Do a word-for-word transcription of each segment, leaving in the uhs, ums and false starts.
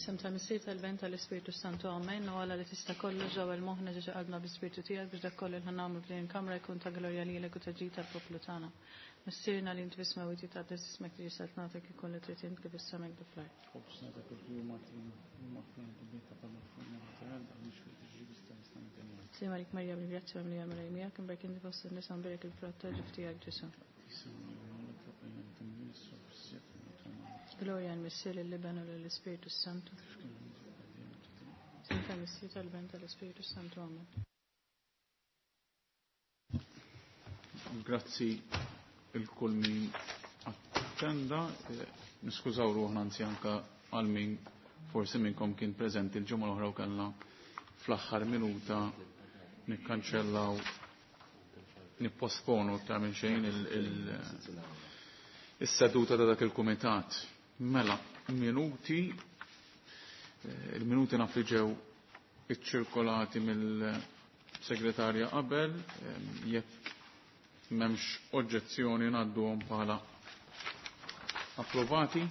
F'isem tal-Missier tal-Iben tal-Ispirtu Santu Amen. U Alla li tista' kollox ġewwa moħħna ġeġa qalbna bl-Ispirtu tiegħek biex dak kollu li ħa nagħmlu f'din il-kamra jkun ta' glorja lilek u ta' ġid tal-poplu tagħna. Missierna li inti fis-smewwiet jitqaddes ismek tiġi saltnatek ikun li trid int kif is-sema hekk fl-art. Ħobżna ta' kuljum agħtina u aħfir dnubietna bħalma ħfirna aħna għal Sliem għalik Marija bil-grazzja mimlija l-Mulej miegħek, imberk inti fost in-nisa mbierek il-frott tal-ġuf tiegħek Ġesù. Glorja l-Missier lill-Iben u lill-Ispirtu Santu. F'isem tal-Missier tal-Iben tal-Ispirtu Santu. Amen. Grazzi lil kull min attenda. Niskużaw ruħna anzi anka għal min forsi minnkom kien preżenti l-ġimgħa l-oħra u kellna fl-aħħar minuta nikkanċellaw nipposponu iktar minn xejn il-seduta ta' dak il-kumitat. Mela, minuti, il-minuti naf li ġew iċċirkolati mill-segretarja qabel, jekk m'hemmx oġġezzjoni ngħadduhom bħala approvati.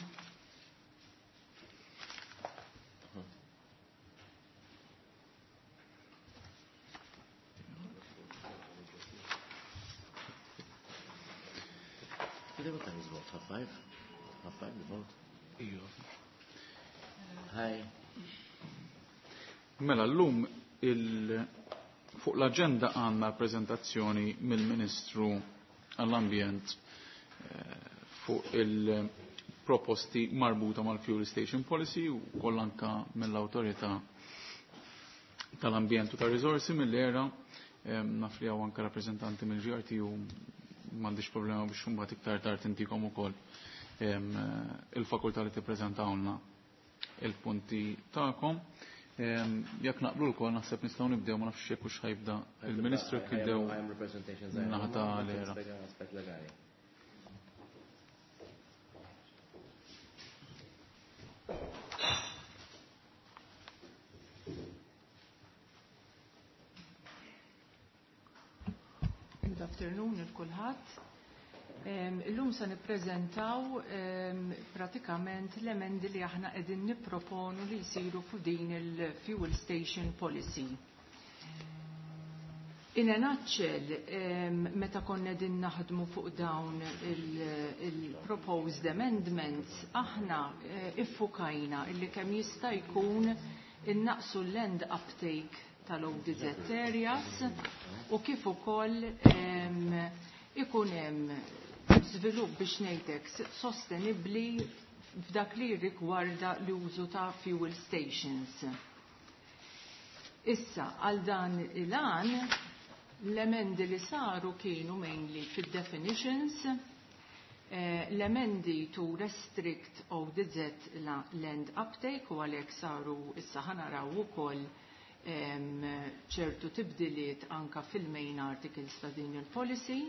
What time is vote? Half five? Half five the vote? Hi. Mela llum il fuq l-agenda għandna prezentazzjoni mill-Ministru għall-Ambjent fuq il-proposti marbuta mal-Fuel Station Policy u koll anka mill-Awtorità tal-Ambjent u tar-Riżorsi mill-ERA naf li hawn anka rappreżentanti mill-GRT u m'għandix problema biex imbagħad iktar tard intikom ukoll il-fakultà li tippreżentawlna il-punti tagħkom. Jekk naqblu lkoll naħseb nistgħu nibdew ma nafx jekk hux ħa jibda il-Ministru jekk jibdew naħa ta' l-ERA. Aspett legali. Good afternoon il kulħadd. Illum se nippreżentaw pratikament l-emendi li aħna qegħdin nipproponu li jsiru fuq din il-Fuel Station Policy. In a nutshell, meta konna din naħdmu fuq dawn il-proposed amendments, aħna iffukajna illi kemm jista' jkun innaqsu l-land uptake tal-ODZ areas u kif ukoll ikun hemm żvilupp biex ngħidlek sostenibbli f'dak li rigwarda l-użu ta' fuel stations. Issa, għal dan il-għan, l-emendi li saru kienu mainly fil-definitions, eh, l-emendi to restrict ODZ land uptake u għalhekk saru issa ħa naraw ukoll ċertu tibdiliet anka fil-main articles ta' din il-policy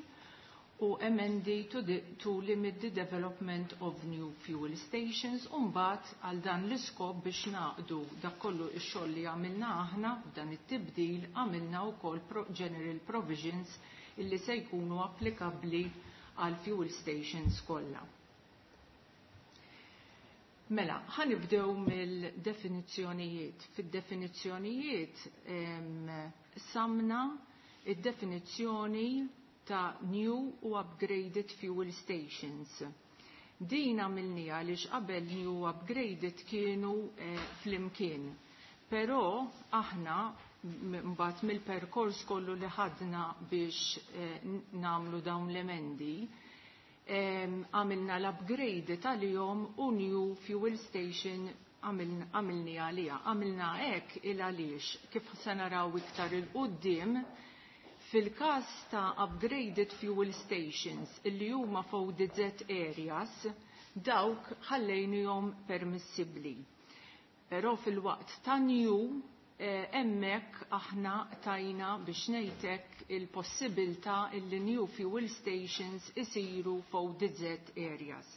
u emendi to, the, to limit the development of new fuel stations u mbagħad għal dan l-iskop biex naqdu dak kollu x-xogħol li għamilna aħna f'dan it-tibdil għamilna wkoll pro general provisions illi se jkunu applikabbli għal fuel stations kollha. Mela, ħa nibdew mill-definizzjonijiet. Fid-definizzjonijiet samna id-definizzjoni ta' new u upgraded fuel stations. Din għamilniha għaliex qabel new upgraded kienu eh, flimkien. Però aħna mbagħad mill-perkors kollu li ħadna biex eh, nagħmlu dawn l-emendi, għamilna l-upgrade tal-jom u new fuel station għamilni għalija. Għamilna hekk il għaliex kif se naraw iktar il-qoddim fil-każ ta' upgraded fuel stations illi huma f'ODZ areas dawk ħallejnihom permissibbli. Però fil-waqt ta' new hemmhekk aħna tajna biex ngħidlek il-possibilità illi new fuel stations isiru f'ODZ areas.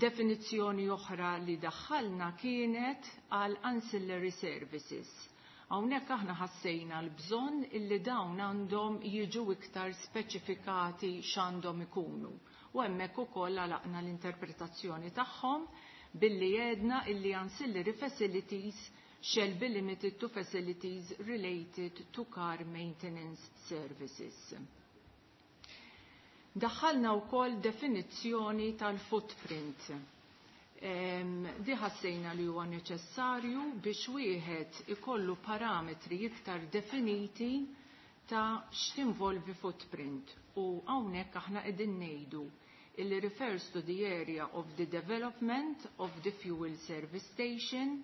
Definizzjoni oħra li daħħalna kienet għal ancillary services. Hawnhekk aħna ħassejna l-bżonn illi dawn għandhom jiġu iktar speċifikati x'għandhom ikunu. U hemmhekk ukoll għalaqna l-interpretazzjoni tagħhom billi għedna illi ancillary facilities shall be limited to facilities related to car maintenance services. Daħħalna wkoll definizzjoni tal-footprint. Di ħassejna li huwa neċessarju biex wieħed ikollu parametri iktar definiti ta' x'tinvolvi footprint. U hawnhekk aħna qegħdin ngħidu illi refers to the area of the development of the fuel service station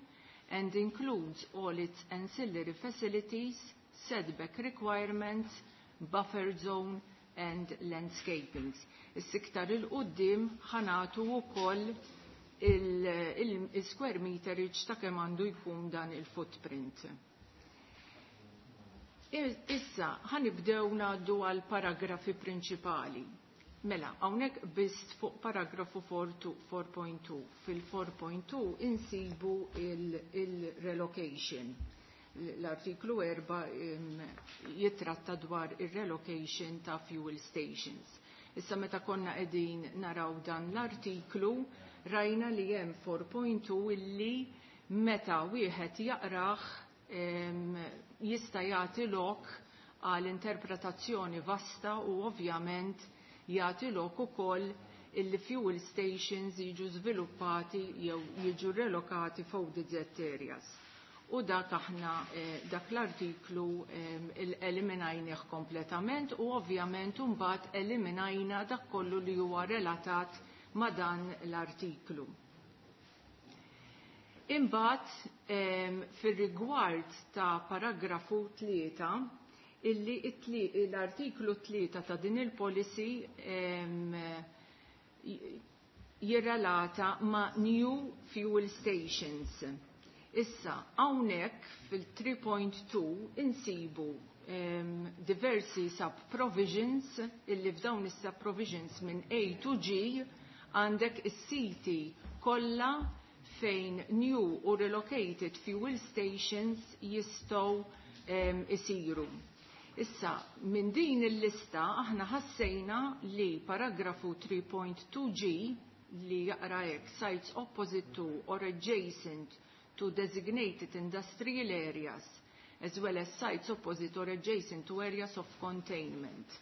and includes all its ancillary facilities, setback requirements, buffer zone and landscapings. Is-siktar il-qoddim ħanatu wkoll il-square meterage ta' kemm għandu jkun dan il-footprint. Issa, ħanibdew ngħaddu għal paragrafi prinċipali. Mela, hawnhekk biss fuq paragrafu four point two. Fil-four point two insibu il-relocation. L-artiklu four jitratta dwar il-relocation ta' fuel stations. Issa, meta konna qegħdin naraw dan l-artiklu, rajna li hemm four point two illi meta wieħed jaqrah jista' jagħti lok għal interpretazzjoni vasta u ovvjament jagħti lok ukoll illi fuel stations jiġu żviluppati jew jiġu relokati f'O D Z areas. U dak aħna eh, dak l-artiklu eh, eliminajnieh kompletament u ovvjament mbagħad eliminajna dak kollu li huwa relatat ma' dan l-artiklu. Imbagħad fir-rigward ta' paragrafu tlieta, illi l-artiklu tlieta ta' din il-policy jirrelata ma' new fuel stations. Issa, hawnhekk fil-three point two insibu um, diversi sub-provisions, illi f'dawn is-sub-provisions minn A to G għandek is-siti kollha fejn new u relocated fuel stations jistgħu um, isiru. Issa, minn din il-lista aħna ħassejna li paragrafu three point two G li jaqra hekk: "Sites opposite to or adjacent to designated industrial areas, as well as sites opposite or adjacent to areas of containment."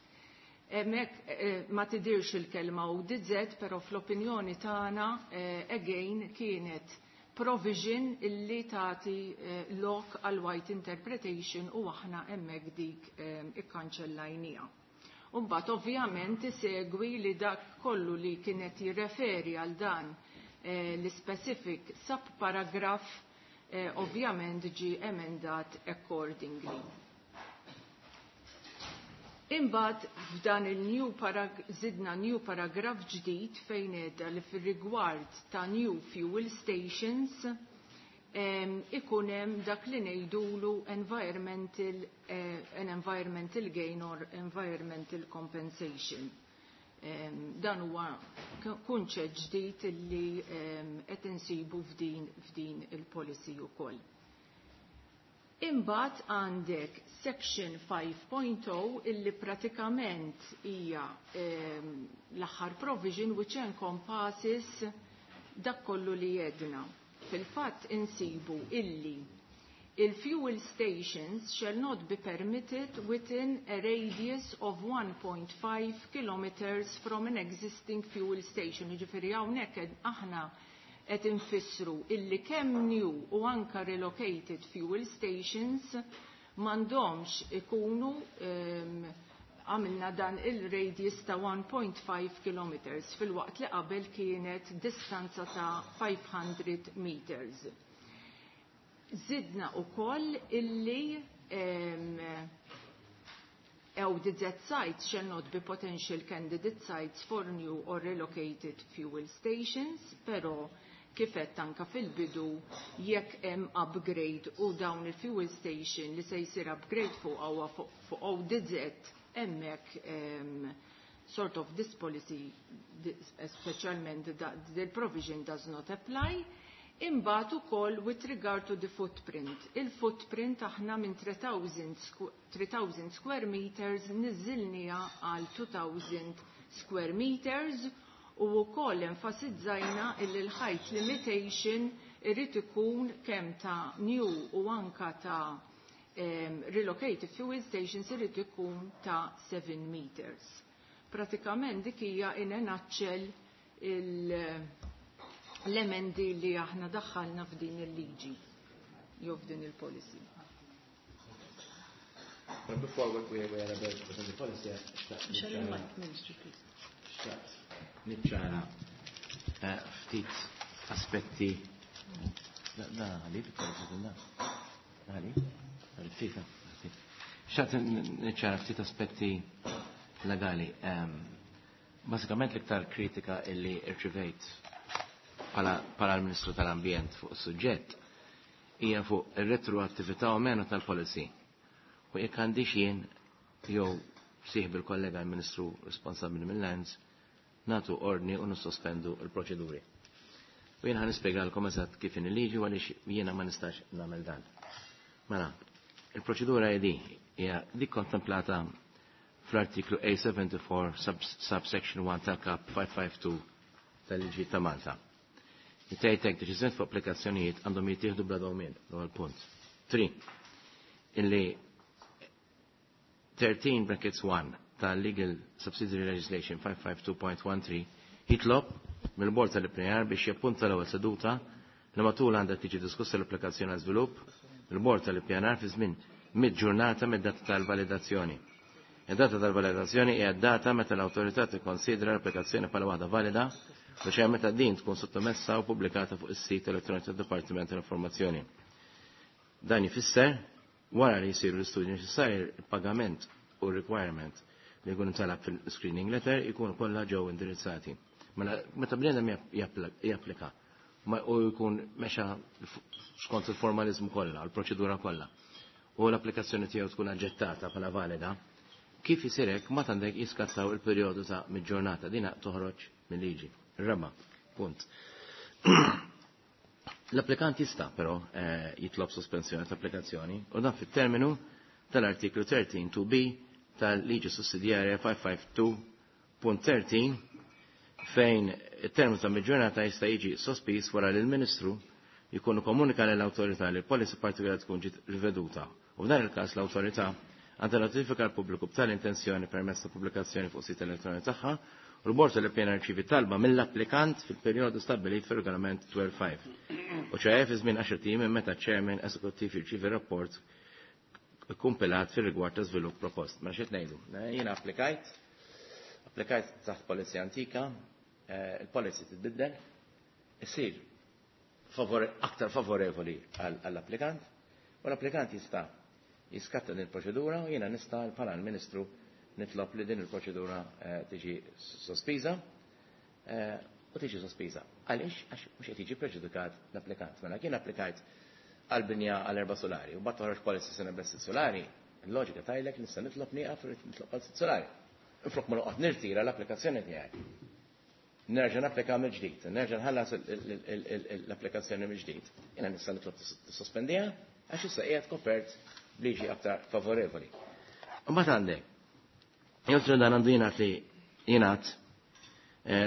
Hemmhekk eh, ma tidirx il-kelma O D Z, pero fl-opinjoni tagħna eh, again kienet provision illi tagħti eh, lok għal wide interpretation u aħna hemmhekk dik eh, ikkanċellajnija. Umbat ovvjament isegwi li dak kollu li kienet jirreferi għal dan eh, l-specific subparagraph eh, ovvjament ġi emendat accordingly. Imbagħad f'dan il-new parag zidna new paragraph ġdid fejn għedna li fir-rigward ta' new fuel stations em, ikun hemm dak li ngħidulu environmental, eh, an environmental gain or environmental compensation. Em, dan huwa kunċett ġdid li qed insibu f'din f'din il-policy ukoll. Imbagħad għandek section five point zero illi pratikament hija ehm, l-aħħar provision which encompasses dak kollu li jedna. Fil-fatt insibu illi il-fuel stations shall not be permitted within a radius of one point five kilometers from an existing fuel station. Jiġifieri hawnhekk aħna qed infissru illi kemm new u anka relocated fuel stations m'għandhomx ikunu, għamilna dan il-radius ta' one point five kilometers filwaqt li qabel kienet distanza ta' five hundred meters. Zidna u koll illi um, O D Z sites shall not be potential candidate sites for new or relocated fuel stations, pero kif għedt anka fil-bidu, jekk hemm upgrade u dawn il-fuel station li se jsir upgrade fuq huwa fuq O D Z, hemmhekk um, sort of this policy, speċjalment the provision, does not apply. Imbagħad ukoll with regard to the footprint. Il-footprint aħna minn three thousand square meters niżilniha għal two thousand square meters. U wkoll enfasizzajna illi l-height limitation irid ikun kemm ta' new u anka ta' um, relocated fuel stations irid ikun ta' seven meters. Pratikament dik hija in a nutshell l-emendi li aħna daħħalna f'din il-liġi jew f'din il-policy. But before we, we, we are about to present the policy, Shall you mic, Minister, please? Niċċara ftit aspetti. Da, għalli, da, għalli, ftit, xtaqt niċċara ftit aspetti legali. Basikament l-iktar kritika illi rċivejt bħala l-Ministru tal-Ambjent fuq is-suġġett hija fuq ir-retroattività u menu tal-policy. U jekk għandix jien jew sieħ bil-kollega l-Ministru responsabbli mill-Lands natu ordni u nissospendu l-proċeduri. U jien ħa nispjegalkom eżatt kif in il-liġi għaliex jiena ma nistax nagħmel dan. Mela, il-proċedura hija di, hija dik kontemplata fl-artiklu A seventy-four subsection one tal-Kap five five two tal-liġi ta' Malta. Tgħidlek deċiżjoni fuq applikazzjonijiet għandhom jittieħdu bla dewmien, l-ewwel punt. Three, illi thirteen brackets one tal-Legal Subsidiary Legislation five five two point one three jitlob mill-Bord tal-I P R biex jappunta l-ewwel seduta li matul għandha tiġi diskussa l-applikazzjoni għal żvilupp mill-Bord tal-I P R fi żmien mid-ġurnata mid-data tal-validazzjoni. Id-data tal-validazzjoni hija d-data meta l-awtorità tikkonsidra l-applikazzjoni bħala waħda valida u xejn meta din tkun sottomessa u pubblikata fuq is-sit elettroniku tad-Dipartiment tal-Informazzjoni. Dan ifisser wara li jsiru l-istudji neċessarji il-pagament u requirement li jkun intalab fil-screening letter ikun kollha ġew indirizzati. Mela meta bniedem japplika u jkun mexa skont il-formalizmu kollha, l-proċedura kollha, u l-applikazzjoni tiegħu tkun aġġettata bħala valida, kif isir hekk ma għandek jiskattaw il-perjodu ta' mid-ġurnata dina toħroġ mill-liġi. Raba, punt. L-applikant jista' però eh, jitlob sospensjoni tal-applikazzjoni u dan fit-terminu tal-artiklu thirteen two B tal-liġi sussidjarja five five two point thirteen fejn it-terminu ta' mid-ġurnata jista' jiġi sospiż wara li l-Ministru jkunu komunika lill-awtorità li l-policy partikolari tkun ġiet riveduta. U f'dan il-każ l-awtorità għandha notifika l-pubbliku b'tal-intenzjoni permezz ta' pubblikazzjoni fuq sit elettroniku tagħha u l-Bord tal-Ippjanar rċievi talba mill-applikant fil-perjodu stabbilit fir-regolament twelve five. U ċeħe fi żmien għaxar ijiem minn meta ċ-chairman eżekuttiv jirċievi rapport kompilat fir-rigward ta' żvilupp propost. Ma xi ngħidu. Jiena applikajt, applikajt taħt policy antika, il-policy titbiddel, isir aktar favorevoli għall-applikant, u l-applikant jista' jiskatta din il-proċedura u jiena nista' bħala l-Ministru nitlob li din il-proċedura tiġi sospiża u tiġi sospiża. Għaliex? Għax mhux qed jiġi preġudikat l-applikant. Mela kien applikajt għal-binja għal erba' solari u mbagħad toħroġ policy sena bl sitt solari, il-loġika tajlek nista' nitlob nieqaf irid nitlob għal sitt solari. Inflok ma noqgħod nirtira l-applikazzjoni tiegħi. Nerġa' napplika mill-ġdid, nerġa' nħallas l-applikazzjoni mill-ġdid. Jiena nista' nitlob tissospendija għax issa qiegħed kopert b'liġi aktar favorevoli. Mbagħad għandek, joltru dan għandu jingħad li jingħad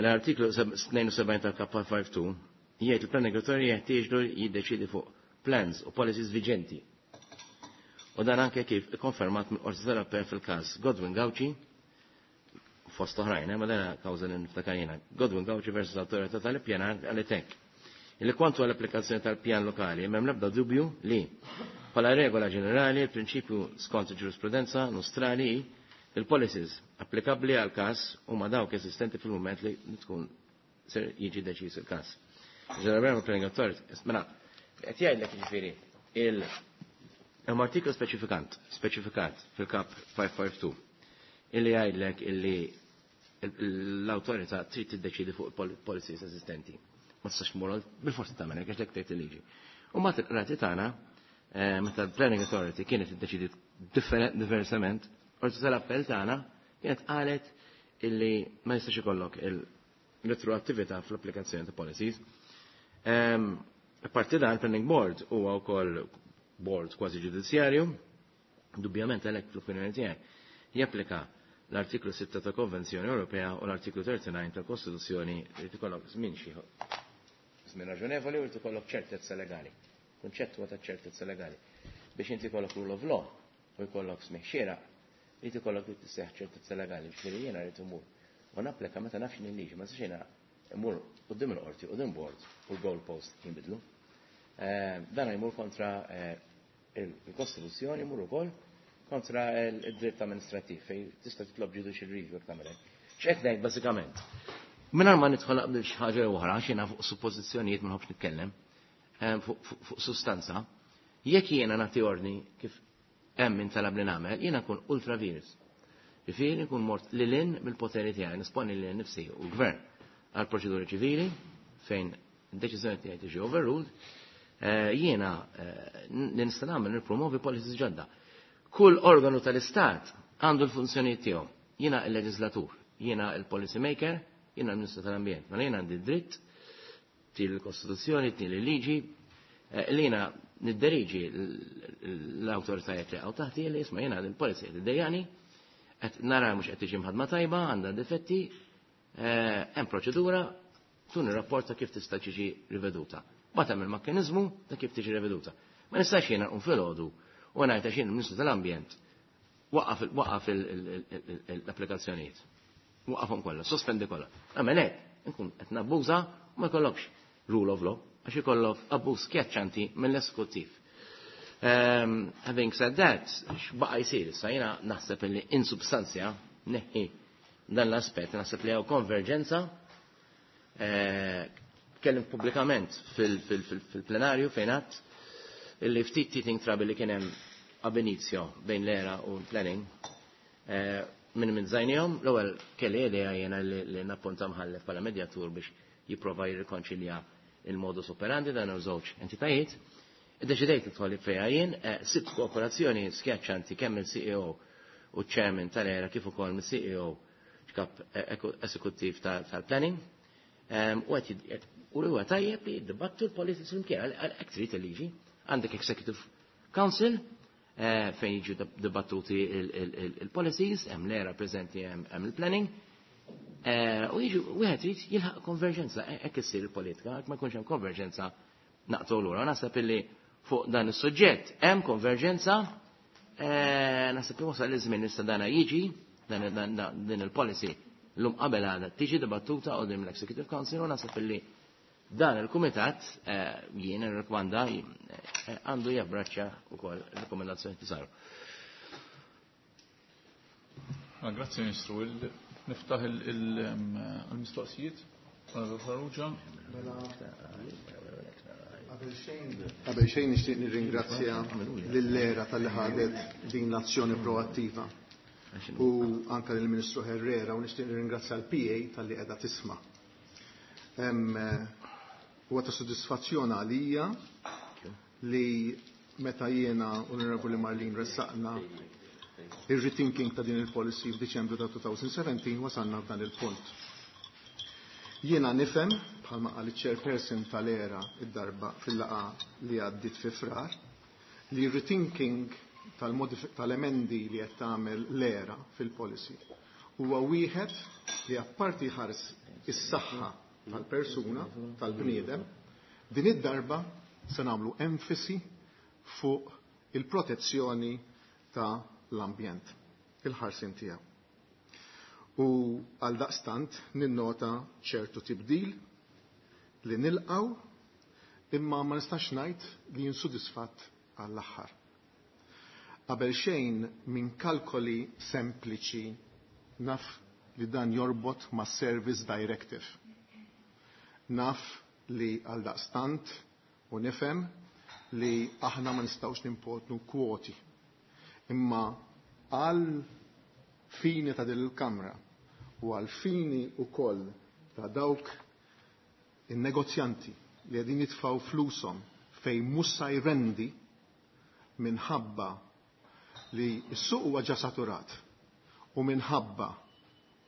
l-artiklu tnejn u sebgħin tal-K five two jgħid il-planning authority jeħtieġlu jiddeċiedi fuq plans u policies viġenti. U dan anke kif ikkonfermat mill-Qorti tal-Appell fil-każ Godwin Gauci, fost oħrajn, ma dana kawża li niftakar jiena, Godwin Gauci versus l-Awtorità tal-Ippjanar għal hekk. Illi kwantu għall-applikazzjoni tal-pjan lokali, m'hemm l-ebda dubju li bħala regola ġenerali il-prinċipju skont il-ġurisprudenza nostrali il-policies applikabbli għal każ huma dawk esistenti fil-mument li tkun ser jiġi deċiż il-każ. Ġeneralment planning authority, mela, qed jgħidlek jiġifieri il hemm artiklu speċifikant, speċifikat fil-kap five five two illi jgħidlek illi l-awtorità trid tiddeċiedi fuq policies esistenti. Ma tistax tmur bil-forsi tagħmel hekk għax dik tgħid il-liġi. U mbagħad il-qrati tagħna meta l-Planning Authority kienet iddeċidiet diversament, Qorti tal-Appell tagħna kienet qalet illi ma jistax ikollok il-retroattività fl-applikazzjoni ta' policies. Apparti dan, il-Planning Board huwa wkoll board kważi ġudizzjarju, dubjament għalhekk fl-opinjoni tiegħi japplika l-artiklu sitta ta' Konvenzjoni Ewropea u l-artiklu thirty-nine ta' Kostituzzjoni li tikollok żmien xi żmien raġonevoli u li tikollok ċertezza legali. Kunċett huwa ta' ċertezza legali. Biex inti jkollok rule of law u jkollok smigħ xieraq, li tikollok li tisseħ ċertezza legali, ġifieri jiena rrid imur u napplika meta nafx li liġi, ma nistax jiena imur quddiem il-qorti, quddiem board u l-goalpost jinbidlu. Eh, dan jmur kontra eh, il-Kostituzzjoni, jmur ukoll kontra il-dritt amministrativ fejn tista' titlob judicial review jekk tagħmel hekk. X'qed ngħid bażikament? Mingħajr ma nidħol qabel xi ħaġa oħra, għax jiena fuq suppożizzjonijiet ma nħobbx nitkellem, eh, fuq, fuq, fuq sustanza, jekk jiena nagħti ordni kif hemm min talab li nagħmel, jiena nkun ultra vires. Ġifieri nkun mort lil hinn mill-poteri tiegħi, nisponi lil nifsi u l-gvern għal proċeduri ċivili fejn id-deċiżjoni tiegħi tiġi overruled, eh, jiena, eh, li nista' nagħmel nippromovi policies ġodda. Kull organu tal-Istat għandu l-funzjonijiet tiegħu. Jiena l-leġislatur, jiena l-policy maker, jiena l-Ministru tal-Ambjent. Mela jiena għandi dritt til il-Kostituzzjoni, til il-liġi, eh, li jiena nidderiġi l-awtoritajiet li għaw taħti li jisma' jiena għandi l-policy qed iddejjani, qed nara mhux qed tiġi mħadma tajba, għandha difetti, eh, hemm proċedura, tuni rapport ta' kif tista' tiġi riveduta. Bagħad hemm il-mekkaniżmu ta' kif tiġi riveduta. Ma nistax jiena nqum filgħodu u ngħid għax jien il-Ministru tal-Ambjent waqaf il-, waqaf il-, il-, il-, il-, l-applikazzjonijiet. Waqafhom kollha, sospendi kollha. Għamel hekk, nkun qed nabbuża u ma jkollokx rule of law, għax ikollok abbuż skjaċċanti mill-eżekuttiv. Um, having said that, x'baqa' jsir issa jiena naħseb li in substanzja neħħi dan l-aspett, naħseb li hawn konverġenza. Eh, tkellimt pubblikament fil-, fil-, fil-, fil-plenarju fejn għadt illi ftit teething trouble li kien hemm ab inizio bejn l-ERA u l-planning, eh, minn minn żajnihom, l-ewwel kelli idea jiena li, li nappunta mħallef bħala medjatur biex jipprova jirrikonċilja il-modus operandi dan hemm żewġ entitajiet. Iddeċidejt nidħol fejha jien, eh, sibt kooperazzjoni skjaċċanti kemm il-C E O u chairman tal-ERA kif ukoll mill-C E O kap, eh, eżekuttiv ta-, tal-planning. Ehm, u qed jid-, u huwa tajjeb li jiddibattu l-policies flimkien, għal-, għal hekk trid il-liġi. Għandek Executive Council, eh, fejn jiġu dib-, dibattuti il-, il-, il-, il-policies, hemm l-ERA preżenti, hemm, hemm il-planning. Eh, u jiġu, wieħed irid jilħaq konverġenza, e-, hekk issir il-politika, hekk ma jkunx hemm konverġenza naqtgħu lura. Naħseb illi fuq dan is-suġġett hemm konverġenza, eh, naħseb li wasal iż-żmien issa dana jiġi, dan, dan, dan, din il-policy llum qabel għadha tiġi dibattuta qudiem l-Executive Council u naħseb illi dan il-kumitat, eh, jien irrikmanda, eh, għandu jabbraċċja wkoll ir-rekomendazzjoni li saru. Ah, grazzi Ministru. Il-, niftaħ il-, il-, em, il-mistoqsijiet. Onorevole Farrugia. Qabel xejn, qabel xejn nixtieq nirringrazzja lill-ERA tal-li ħadet din l-azzjoni proattiva u anke lill-Ministru Herrera u nixtieq nirringrazzja l-P A tal-li qiegħda tisma'. Hemm, huwa ta' sodisfazzjon għalija li meta jiena Onorevoli Marlene ressaqna ir-rethinking ta' din il-policy f'Diċembru ta' two thousand seventeen wasalna f'dan il-punt. Jiena nifhem, bħalma qal iċ-chairperson tal-ERA id-darba fil-laqgħa li għaddiet fi Frar, li rethinking tal-modif-, tal-emendi li qed tagħmel l-ERA fil-policy huwa wieħed li apparti ħares is-saħħa tal-persuna, tal-bniedem, din id-darba se nagħmlu enfasi fuq il-protezzjoni ta' l-ambjent, il-ħarsin tiegħu. U għal daqstant ninnota ċertu tibdil li nilqaw imma ma nistax ngħid li jinsudisfatt għall-aħħar. Qabel xejn minn kalkoli sempliċi naf li dan jorbot ma' Service Directive. Naf li għal daqstant u nifhem li aħna ma nistgħux nimpotnu kwoti. Imma għal fini ta' din il-Kamra u għal fini wkoll ta' dawk in-negozjanti li qegħdin jitfgħu flushom fejn mhux se jrendi minħabba li s-suq huwa ġa saturat u minħabba,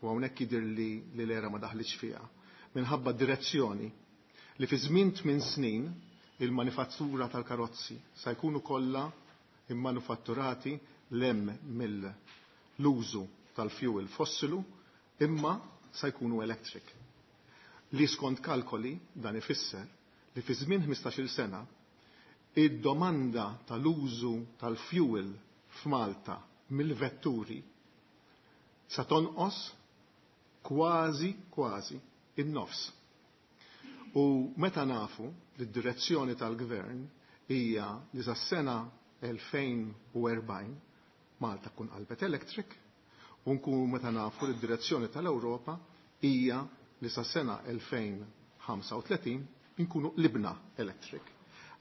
u hawnhekk jidher li, li l-ERA ma daħlitx fiha, minħabba direzzjoni li fi żmien tmien snin il-manifattura tal-karozzi sa jkunu kollha immanufatturati lem mill-użu tal-fuel fossilu imma sa jkunu electric. Li skont kalkoli dan ifisser li fi żmien ħmistax-il sena id-domanda tal-użu tal-fuel f'Malta mill-vetturi sa tonqos kważi kważi in-nofs. U meta nafu li d-direzzjoni tal-gvern hija li sas-sena elfejn u erbgħin Malta tkun qalbet electric, u nkunu meta nafu li d-direzzjoni tal-Ewropa hija li sas-sena elfejn ħamsa u tletin inkunu qlibna electric.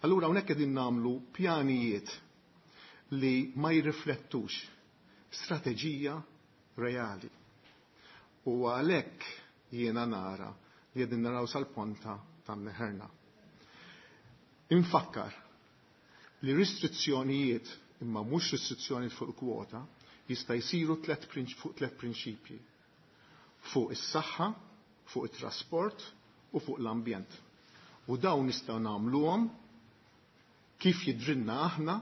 Allura hawnhekk qegħdin nagħmlu pjanijiet li ma jirriflettux strateġija reali. U għalhekk jiena nara li qegħdin naraw sal-ponta ta' mneħerna. Infakkar li restrizzjonijiet, imma mhux restrizzjonijiet fuq kwota, jista' jsiru tliet prinċ-, fuq tliet prinċipji. Fuq is-saħħa, fuq it-trasport u fuq l-ambjent. U dawn nistgħu nagħmluhom kif jidrinna aħna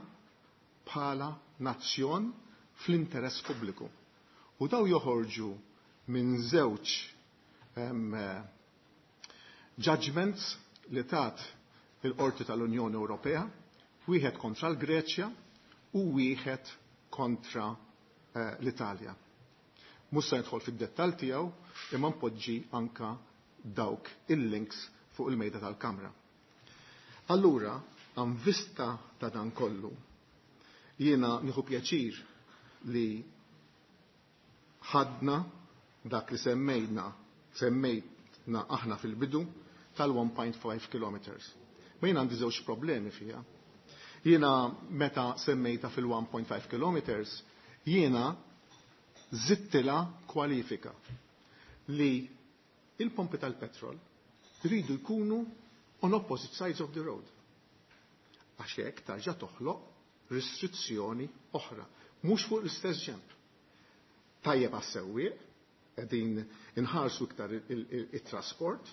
bħala nazzjon fl-interess pubbliku. U daw joħorġu minn żewġ, em, judgments li tat il-Qorti tal-Unjoni Ewropea, wieħed kontra l-Greċja u wieħed kontra, eh, l-Italja. Mhux se nidħol fid-dettall tiegħu, imma npoġġi anka dawk il-links fuq il-mejda tal-Kamra. Allura, għan vista ta' dan kollu, jiena nieħu pjaċir li ħadna dak li semmejna, semmejna aħna fil-bidu tal-one point five kilometers. Ma jiena għandi żewġ problemi fiha. Jiena meta semmejta fil-one point five kilometers, jiena zittila kwalifika li il-pompi tal-petrol rridu jkunu on opposite sides of the road. Għax hekk tarġa' toħloq restrizzjoni oħra, mhux fuq l-istess ġemp. Tajjeb għas-sewwieq, qegħdin inħarsu iktar il-, il-, il-trasport,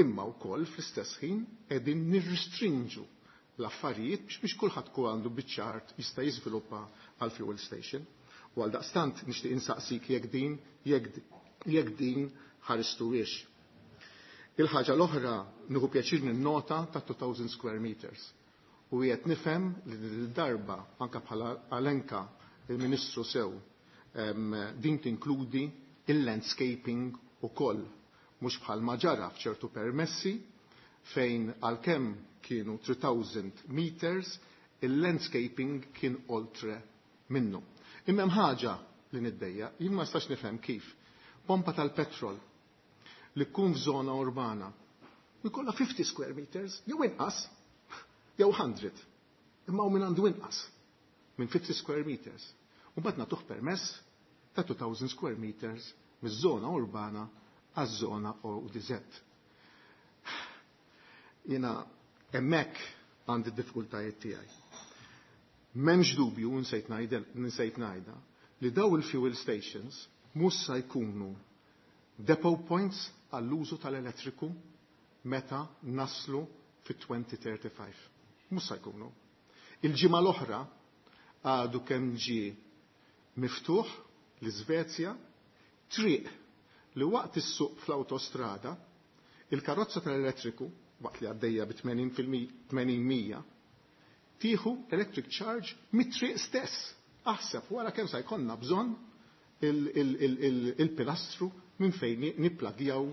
imma wkoll fl-istess ħin qegħdin nirrestrinġu l-affarijiet biex, biex kulħadd kun għandu biċċa art jista' jiżviluppa għal fuel station. U għal daqstant nixtieq insaqsik jekk din, jekk, jekk din ħaristuwiex. Il-ħaġa l-oħra nieħu pjaċir ninnota ta' two thousand square meters. U qed nifhem li din id-darba anke bħala Alenka il-Ministru sew, em, din tinkludi il-landscaping ukoll, mhux bħal ma ġara f'ċertu permessi fejn għalkemm kienu three thousand meters, il-landscaping kien oltre minnu. Imma hemm ħaġa li niddejja, jien ma nistax nifhem kif pompa tal-petrol li tkun f'żona urbana u jkollha fifty square meters, jew inqas, jew hundred. Imma hu min għandu inqas minn fifty square meters. U mbagħad nagħtuh permess ta' two thousand square meters miż-żona urbana għaż-żona O D Z. Jiena hemmhekk għandi d-diffikultajiet tiegħi. M'hemmx dubju, nsejt ngħidel, nsejt ngħidha, li daw il-fuel stations mhux se jkunu depot points għall-użu tal-elettriku meta naslu fit twenty thirty-five. Mhux se jkunu. Il-ġimgħa l-oħra għadu kemm ġie miftuħ l-Iżvezja triq li waqt is-suq fl-awtostrada il-karozza tal-elettriku waqt li għaddejja bi tmenin fil-mi-, tmenin mija tieħu electric charge mit-triq stess. Aħseb wara kemm se jkollna bżonn il-, il-, il-, il-, il-pilastru minn fejn ni-, nipplagjaw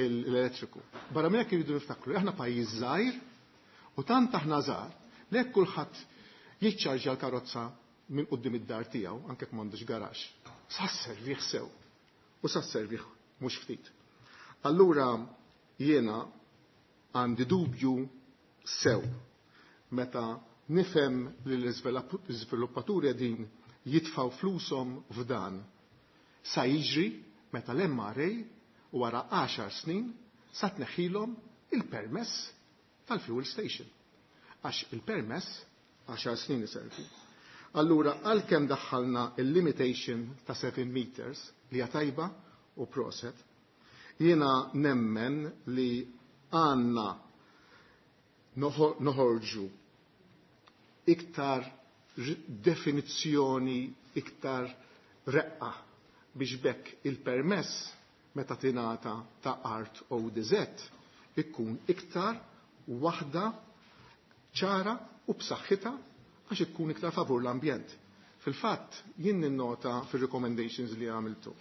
il-, l-elettriku. Barra minn hekk irridu niftakru li aħna pajjiż żgħir u tant aħna żgħar li hekk kulħadd jiċċarġja l-karozza minn quddiem id-dar tiegħu anke jekk m'għandux garaxx. Sa sservih sew u sa sservih mhux ftit. Allura jiena għandi dubju sew meta nifhem li l-iżviluppaturi qegħdin jitfgħu flushom f'dan. Sa jiġri meta l-M R A wara għaxar snin sa tneħħilhom il-permess tal-fuel station. Għax il-permess għaxar snin iservi. Allura għalkemm daħħalna il-limitation ta' seven meters li hija tajba u proset, jiena nemmen li għandna noħor-, noħorġu iktar r-, definizzjoni iktar reqqa biex bekk il-permess meta tingħata ta' art O D Z ikkun iktar waħda ċara u b'saħħitha għax ikkun iktar favur l-ambjent. Fil-fatt, jien ninnota fil-recommendations li għamiltu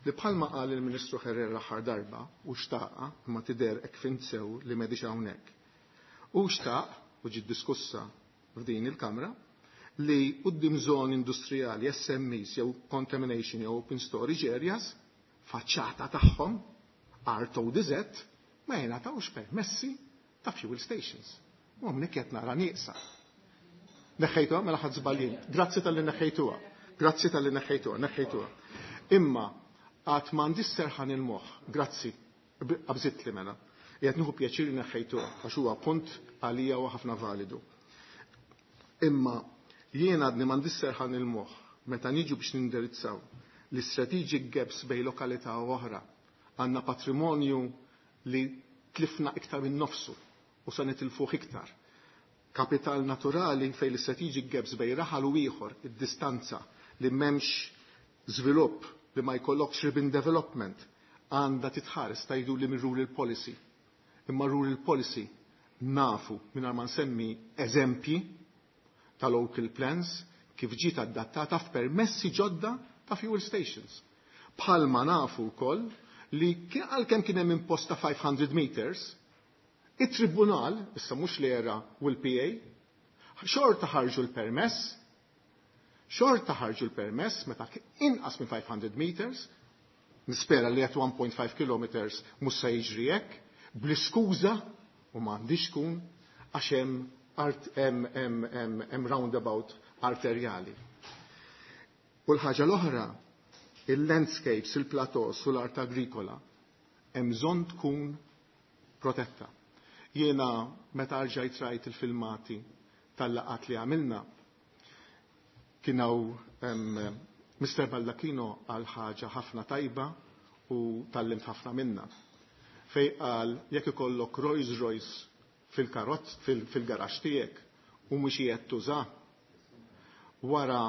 li bħalma qal il-Ministru Herrera l-aħħar darba u xtaqa, imma tidher hekk fhimt sew li m'għadix hawnhekk. U xtaq u ġiet diskussa f'din il-Kamra li quddiem żoni industrijali, S M Es jew contamination jew open storage areas, faċċata tagħhom art O D Z ma jingħatawx permessi ta' fuel stations. U hawnhekk qed nara nieqsa. Neħħejtuha, mela ħadt żball jien. Grazzi talli neħħejtuha. Grazzi talli neħħejtuha, neħħejtuha. Imma għad m'għandix serħan il-moħħ, grazzi, qabżitli mela. Qiegħed nieħu pjaċir li neħħejtuha għax huwa punt għalija u ħafna validu. Imma jien għadni m'għandix serħan il-moħħ meta niġu biex nindirizzaw l-strategic gaps bejn lokalità u oħra. Għandna patrimonju li tlifna iktar minn nofsu u sa nitilfuh iktar. Kapital naturali fejn l-strategic gaps bejn raħal u ieħor, id-distanza li m'hemmx żvilupp, li ma jkollokx ribbon development, għandha titħares tajdu li minn rural policy. Imma rural policy nafu minn ma nsemmi eżempji ta' local plans kif ġiet adattata f'permessi ġodda ta' fuel stations. Bħalma nafu wkoll li għalkemm kien hemm imposta five hundred meters, it-tribunal, issa mhux l-ERA u l-P A, xorta ħarġu l-permess, xorta ħarġu l-permess meta inqas minn five hundred meters, nispera li għat one point five kilometers mhux se jiġri hekk, bl-iskuża u m'għandix tkun għax hemm hemm roundabout arterjali. U l-ħaġa l-oħra, il-landscapes, il-plateaus u l-art agrikola, hemm bżonn tkun protetta. Jiena meta rġajt rajt il-filmati tal-laqat li għamilna, kien hawn Mister Baldacchino għal ħaġa ħafna tajba u tgħallimt ħafna minna. Fejn qal jekk ikollok Rolls Royce fil-karozz fil-garaxx tiegħek u mhux qiegħed tuża wara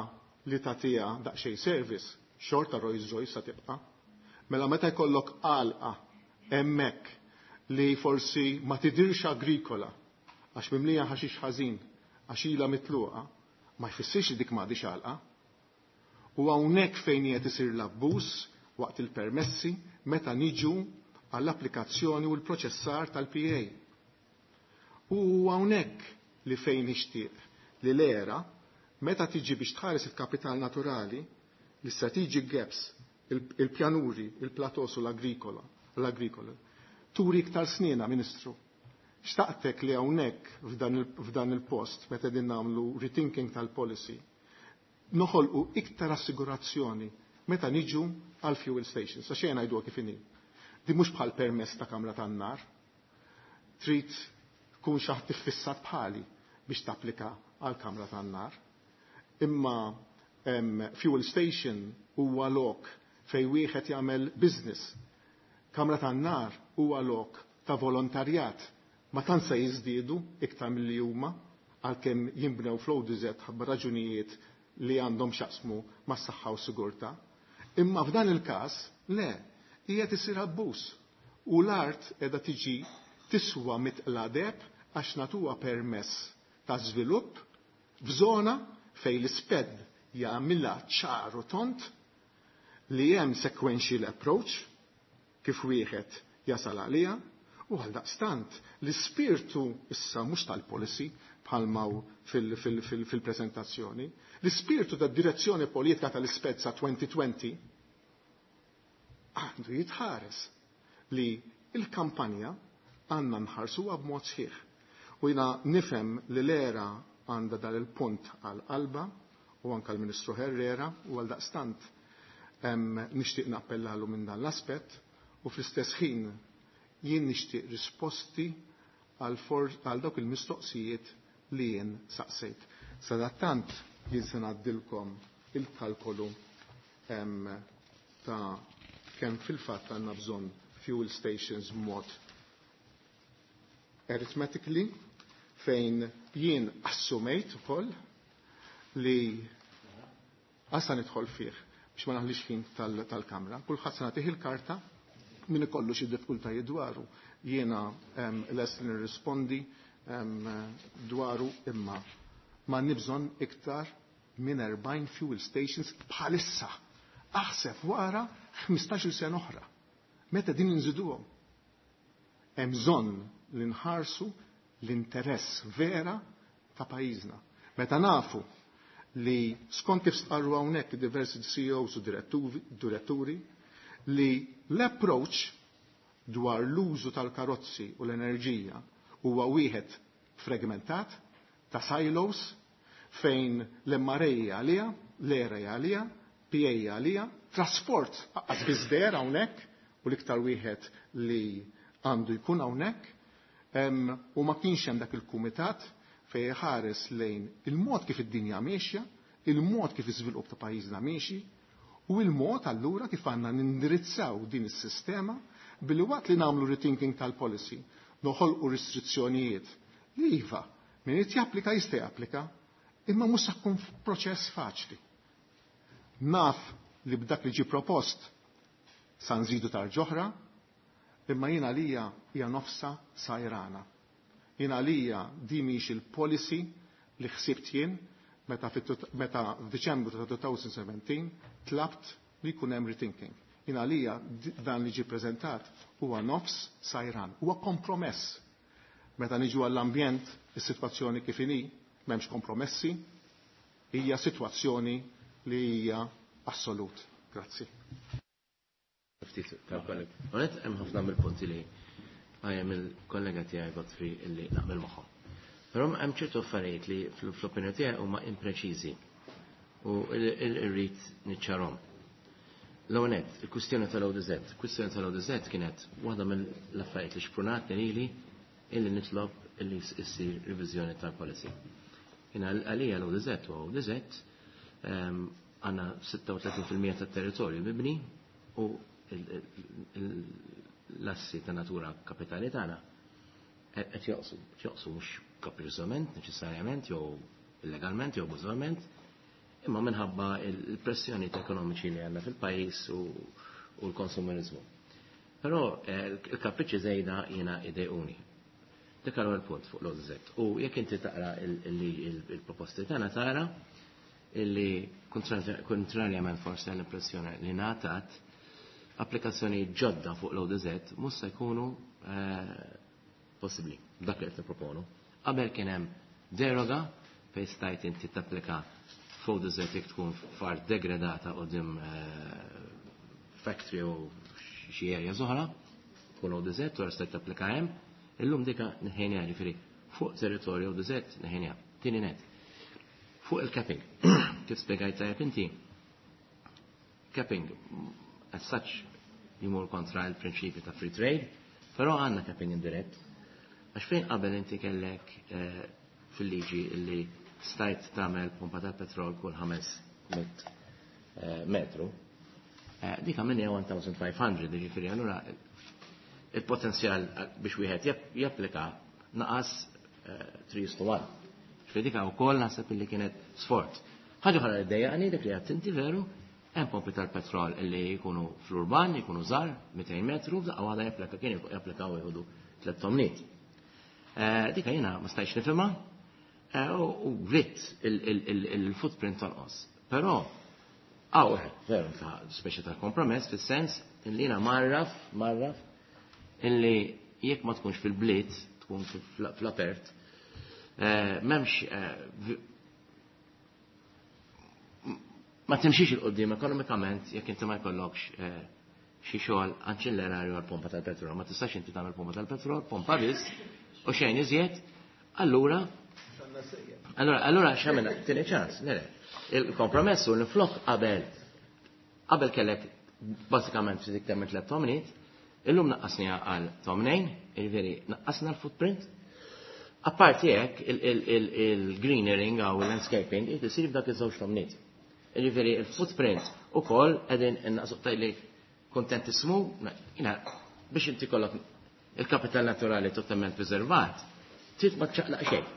li tagħtiha daqsxejn service, xorta Rolls Royce sa tibqa'. Mela meta jkollok għalqa hemmhekk li forsi ma tidirx agrikola għax mimlija ħaxix ħażin għax ilha mitluqa, ma jfissirx li dik m'għadix għalqa. U hawnhekk fejn qed isir l-abbuż waqt il-permessi meta niġu għall-applikazzjoni u l-proċessar tal-P A. U hawnhekk li fejn nixtieq li l-ERA meta tiġi biex tħares il-kapital naturali, l-strategic gaps, il-pjanuri, il-plateaus u l-agrikola, l-agrikola, turi iktar snina, Ministru. Xtaqtek li hawnhekk f'dan il-post, meta din nagħmlu rethinking tal-policy, noħolqu iktar assigurazzjoni meta niġu għal fuel stations. Għax xejn ngħiduha kif inhi. Di mhux bħal permess ta' kamra tan-nar. Trid tkun xi ħadd iffissat bħali biex tapplika għal kamra tan-nar. Imma em, fuel station huwa lok fejn wieħed jagħmel business. Kamra tan-nar huwa lok ta' volontarjat. Ma tant se jiżdiedu iktar milli huma għalkemm jinbnew fl-O D Z ħabba raġunijiet li għandhom x'jaqsmu mas-saħħa u sigurtà. Imma f'dan il-każ, le, hija tisir abbuż. U l-art qiegħda tiġi tiswa mitqla deheb għax natuha permess ta' żvilupp f'żona fejn l-ISPED jagħmilha ċar u tond li hemm sequential approach kif wieħed jasal għalija u għal daqstant l-ispirtu issa mhux tal-policy bħalma fil-prezentazzjoni, l-ispirtu tad direzzjoni politika tal-ISPED sa elfejn u għoxrin għandu jitħares li il-kampanja għandna nħarsuha b'mod sħiħ. U jiena nifhem li l-ERA għandha dal il-punt għal qalba u anka l-Ministru Herrera u għal daqstant nixtieq nappellalu minn dan l-aspett u fl-istess ħin jien nixtieq risposti għal dawk il-mistoqsijiet li jien saqsejt. Sadattant jien se ngħaddilkom il-kalkolu ta' kemm fil-fatt għandna bżonn fuel stations mod arithmetically fejn jien assumejt ukoll li għasa nidħol fih biex biex ma naħlix ħin tal-kamra, kulħadd se nagħtih il-karta min ikollu xi diffikultajiet dwaru. Jiena lest li nirrispondi dwaru imma ma nibżon iktar minn erbgħin fuel stations bħalissa. Aħseb wara ħmistax-il sena oħra. Meta din inżiduhom? Hemm bżonn li nħarsu l-interess vera ta' pajjiżna. Meta nafu li skont kif stqarru hawnhekk diversi C E Os u diretturi li l-approach dwar l-użu tal-karozzi u l-enerġija huwa wieħed fragmentat ta' silos fejn l-M R A għalija, l-E R A għalija, P A għalija, trasport għaz biżder hawnhekk u l-iktar wieħed li għandu jkun hawnhekk, u ma kienx hemm dak il-kumitat fejn ħares lejn il-mod kif id-dinja miexja, il-mod kif iż-żvilupp ta' pajjiżna miexi, u il-mod allura kif għandna nindirizzaw din is-sistema billi waqt li nagħmlu rethinking tal-policy noħolqu restrizzjonijiet li iva min irid japplika jista' japplika, imma mhux se jkun proċess faċli. Naf li b'dak li ġie propost sa nżidu tarġoħra, imma jiena għalija hija nofsa sajrana. Jiena għalija di mhix il-policy li ħsibt jien meta fit-, meta f'Diċembru ta' two thousand seventeen tlabt li jkun hemm rethinking. Jiena għalija dan li ġie preżentat huwa nofs sajran, huwa kompromess. Meta niġu għall-ambjent, is-sitwazzjoni kif inhi, m'hemmx kompromessi, hija sitwazzjoni li hija assolut. Grazzi. Ftit tal-kollega. Onet, hemm ħafna mill-punti li għajem il-kollega tiegħi Godfrey illi naqbel magħhom. Però hemm ċertu affarijiet li fl-opinjoni tiegħi huma impreċiżi u irrid niċċarhom. L-ewwel nett, il-kwistjoni tal-O D Z. Il-kwistjoni tal-O D Z kienet waħda mill-affarijiet li xprunatni lili illi nitlob illi issir riviżjoni tal-policy. Jiena għalija l-O D Z u O D Z, ehm, għandna sitta u tletin fil-mija tat-territorju mibni u l-assi ta' natura kapitali tagħna qed joqsu, qed joqsu mhux kaprizzament neċessarjament jew illegalment jew abbużivament, imma minħabba il-pressjoni ekonomiċi li għandna fil-pajjiż u, u l-konsumerizmu. Però, eh, il-kapriċċi żejda jiena idejquni. Dik għal punt fuq l-O D Z. U jekk inti taqra il-, il-, il-, il-proposti tagħna tara illi kontrarjament forsi għall-impressjoni li ngħatat, applikazzjoni ġodda fuq l-O D Z mhux se jkunu, eh, possibbli, dak li qed nipproponu. Qabel kien hemm deroga fejn stajt inti tapplika fuq O D Z jekk tkun f'art degradata quddiem, eh, factory u xi area oħra, tkun O D Z u stajt tapplika hemm. Illum dika neħejniha, ġifieri fuq territorju O D Z neħejniha. Tieni net. Fuq il-capping, kif spjegajt tajjeb inti, capping as such jimur kontra il-prinċipju ta' free trade, però għandna capping indirett. Għax fejn qabel inti kellek, eh, fil-liġi illi stajt tagħmel pompa tal-petrol kull ħames mitt, eh, metru, eh, dik għamilni one thousand five hundred, jiġifieri allura il-potenzjal biex wieħed jap-, japplika naqas, eh, three to one. Ġifieri dik wkoll naħseb illi kienet sforz. Ħaġa oħra li ddejjaqni dik li għedt inti veru, hemm pompi tal-petrol illi jkunu fl-urban, jkunu żgħar, mitejn metru, f'daqqa waħda japplika kien japplikaw jieħdu tliet tomniet. Eh, dika jiena ma stajtx nifhimha, eh, u, u gritt il-, il-, il-, il-footprint tonqos. Però hawn veru ta' speċi ta' kompromess fis-sens illi jiena marraf, marraf illi jekk ma tkunx fil-bliet, tkun fl-, fl-apert, eh, m'hemmx, eh, vi-, ma timxix il-qoddim ekonomikament jekk inti ma jkollokx, eh, xi xogħol anċillerarju għal pompa tal-petrol. Ma tistax inti tagħmel pompa tal-petrol, pompa biss, u xejn iżjed, allura allura, allura x'għamilna? Tieni ċans, le, le. Il-kompromess u l-flok qabel, qabel kellek bażikament ftit iktar minn tliet tomniet, illum naqqasniha għal tomnejn, jiġifieri naqqasna l-footprint. Apparti hekk il-, il-, il-, il-greenering għaw il-landscaping irid isir f'dak iż-żewġ tomniet. Jiġifieri il-footprint ukoll qegħdin innaqsu tajli kontentissmu, jiena biex inti kollok il-kapital naturali totalment preservat, trid ma ċaqlaq xejn.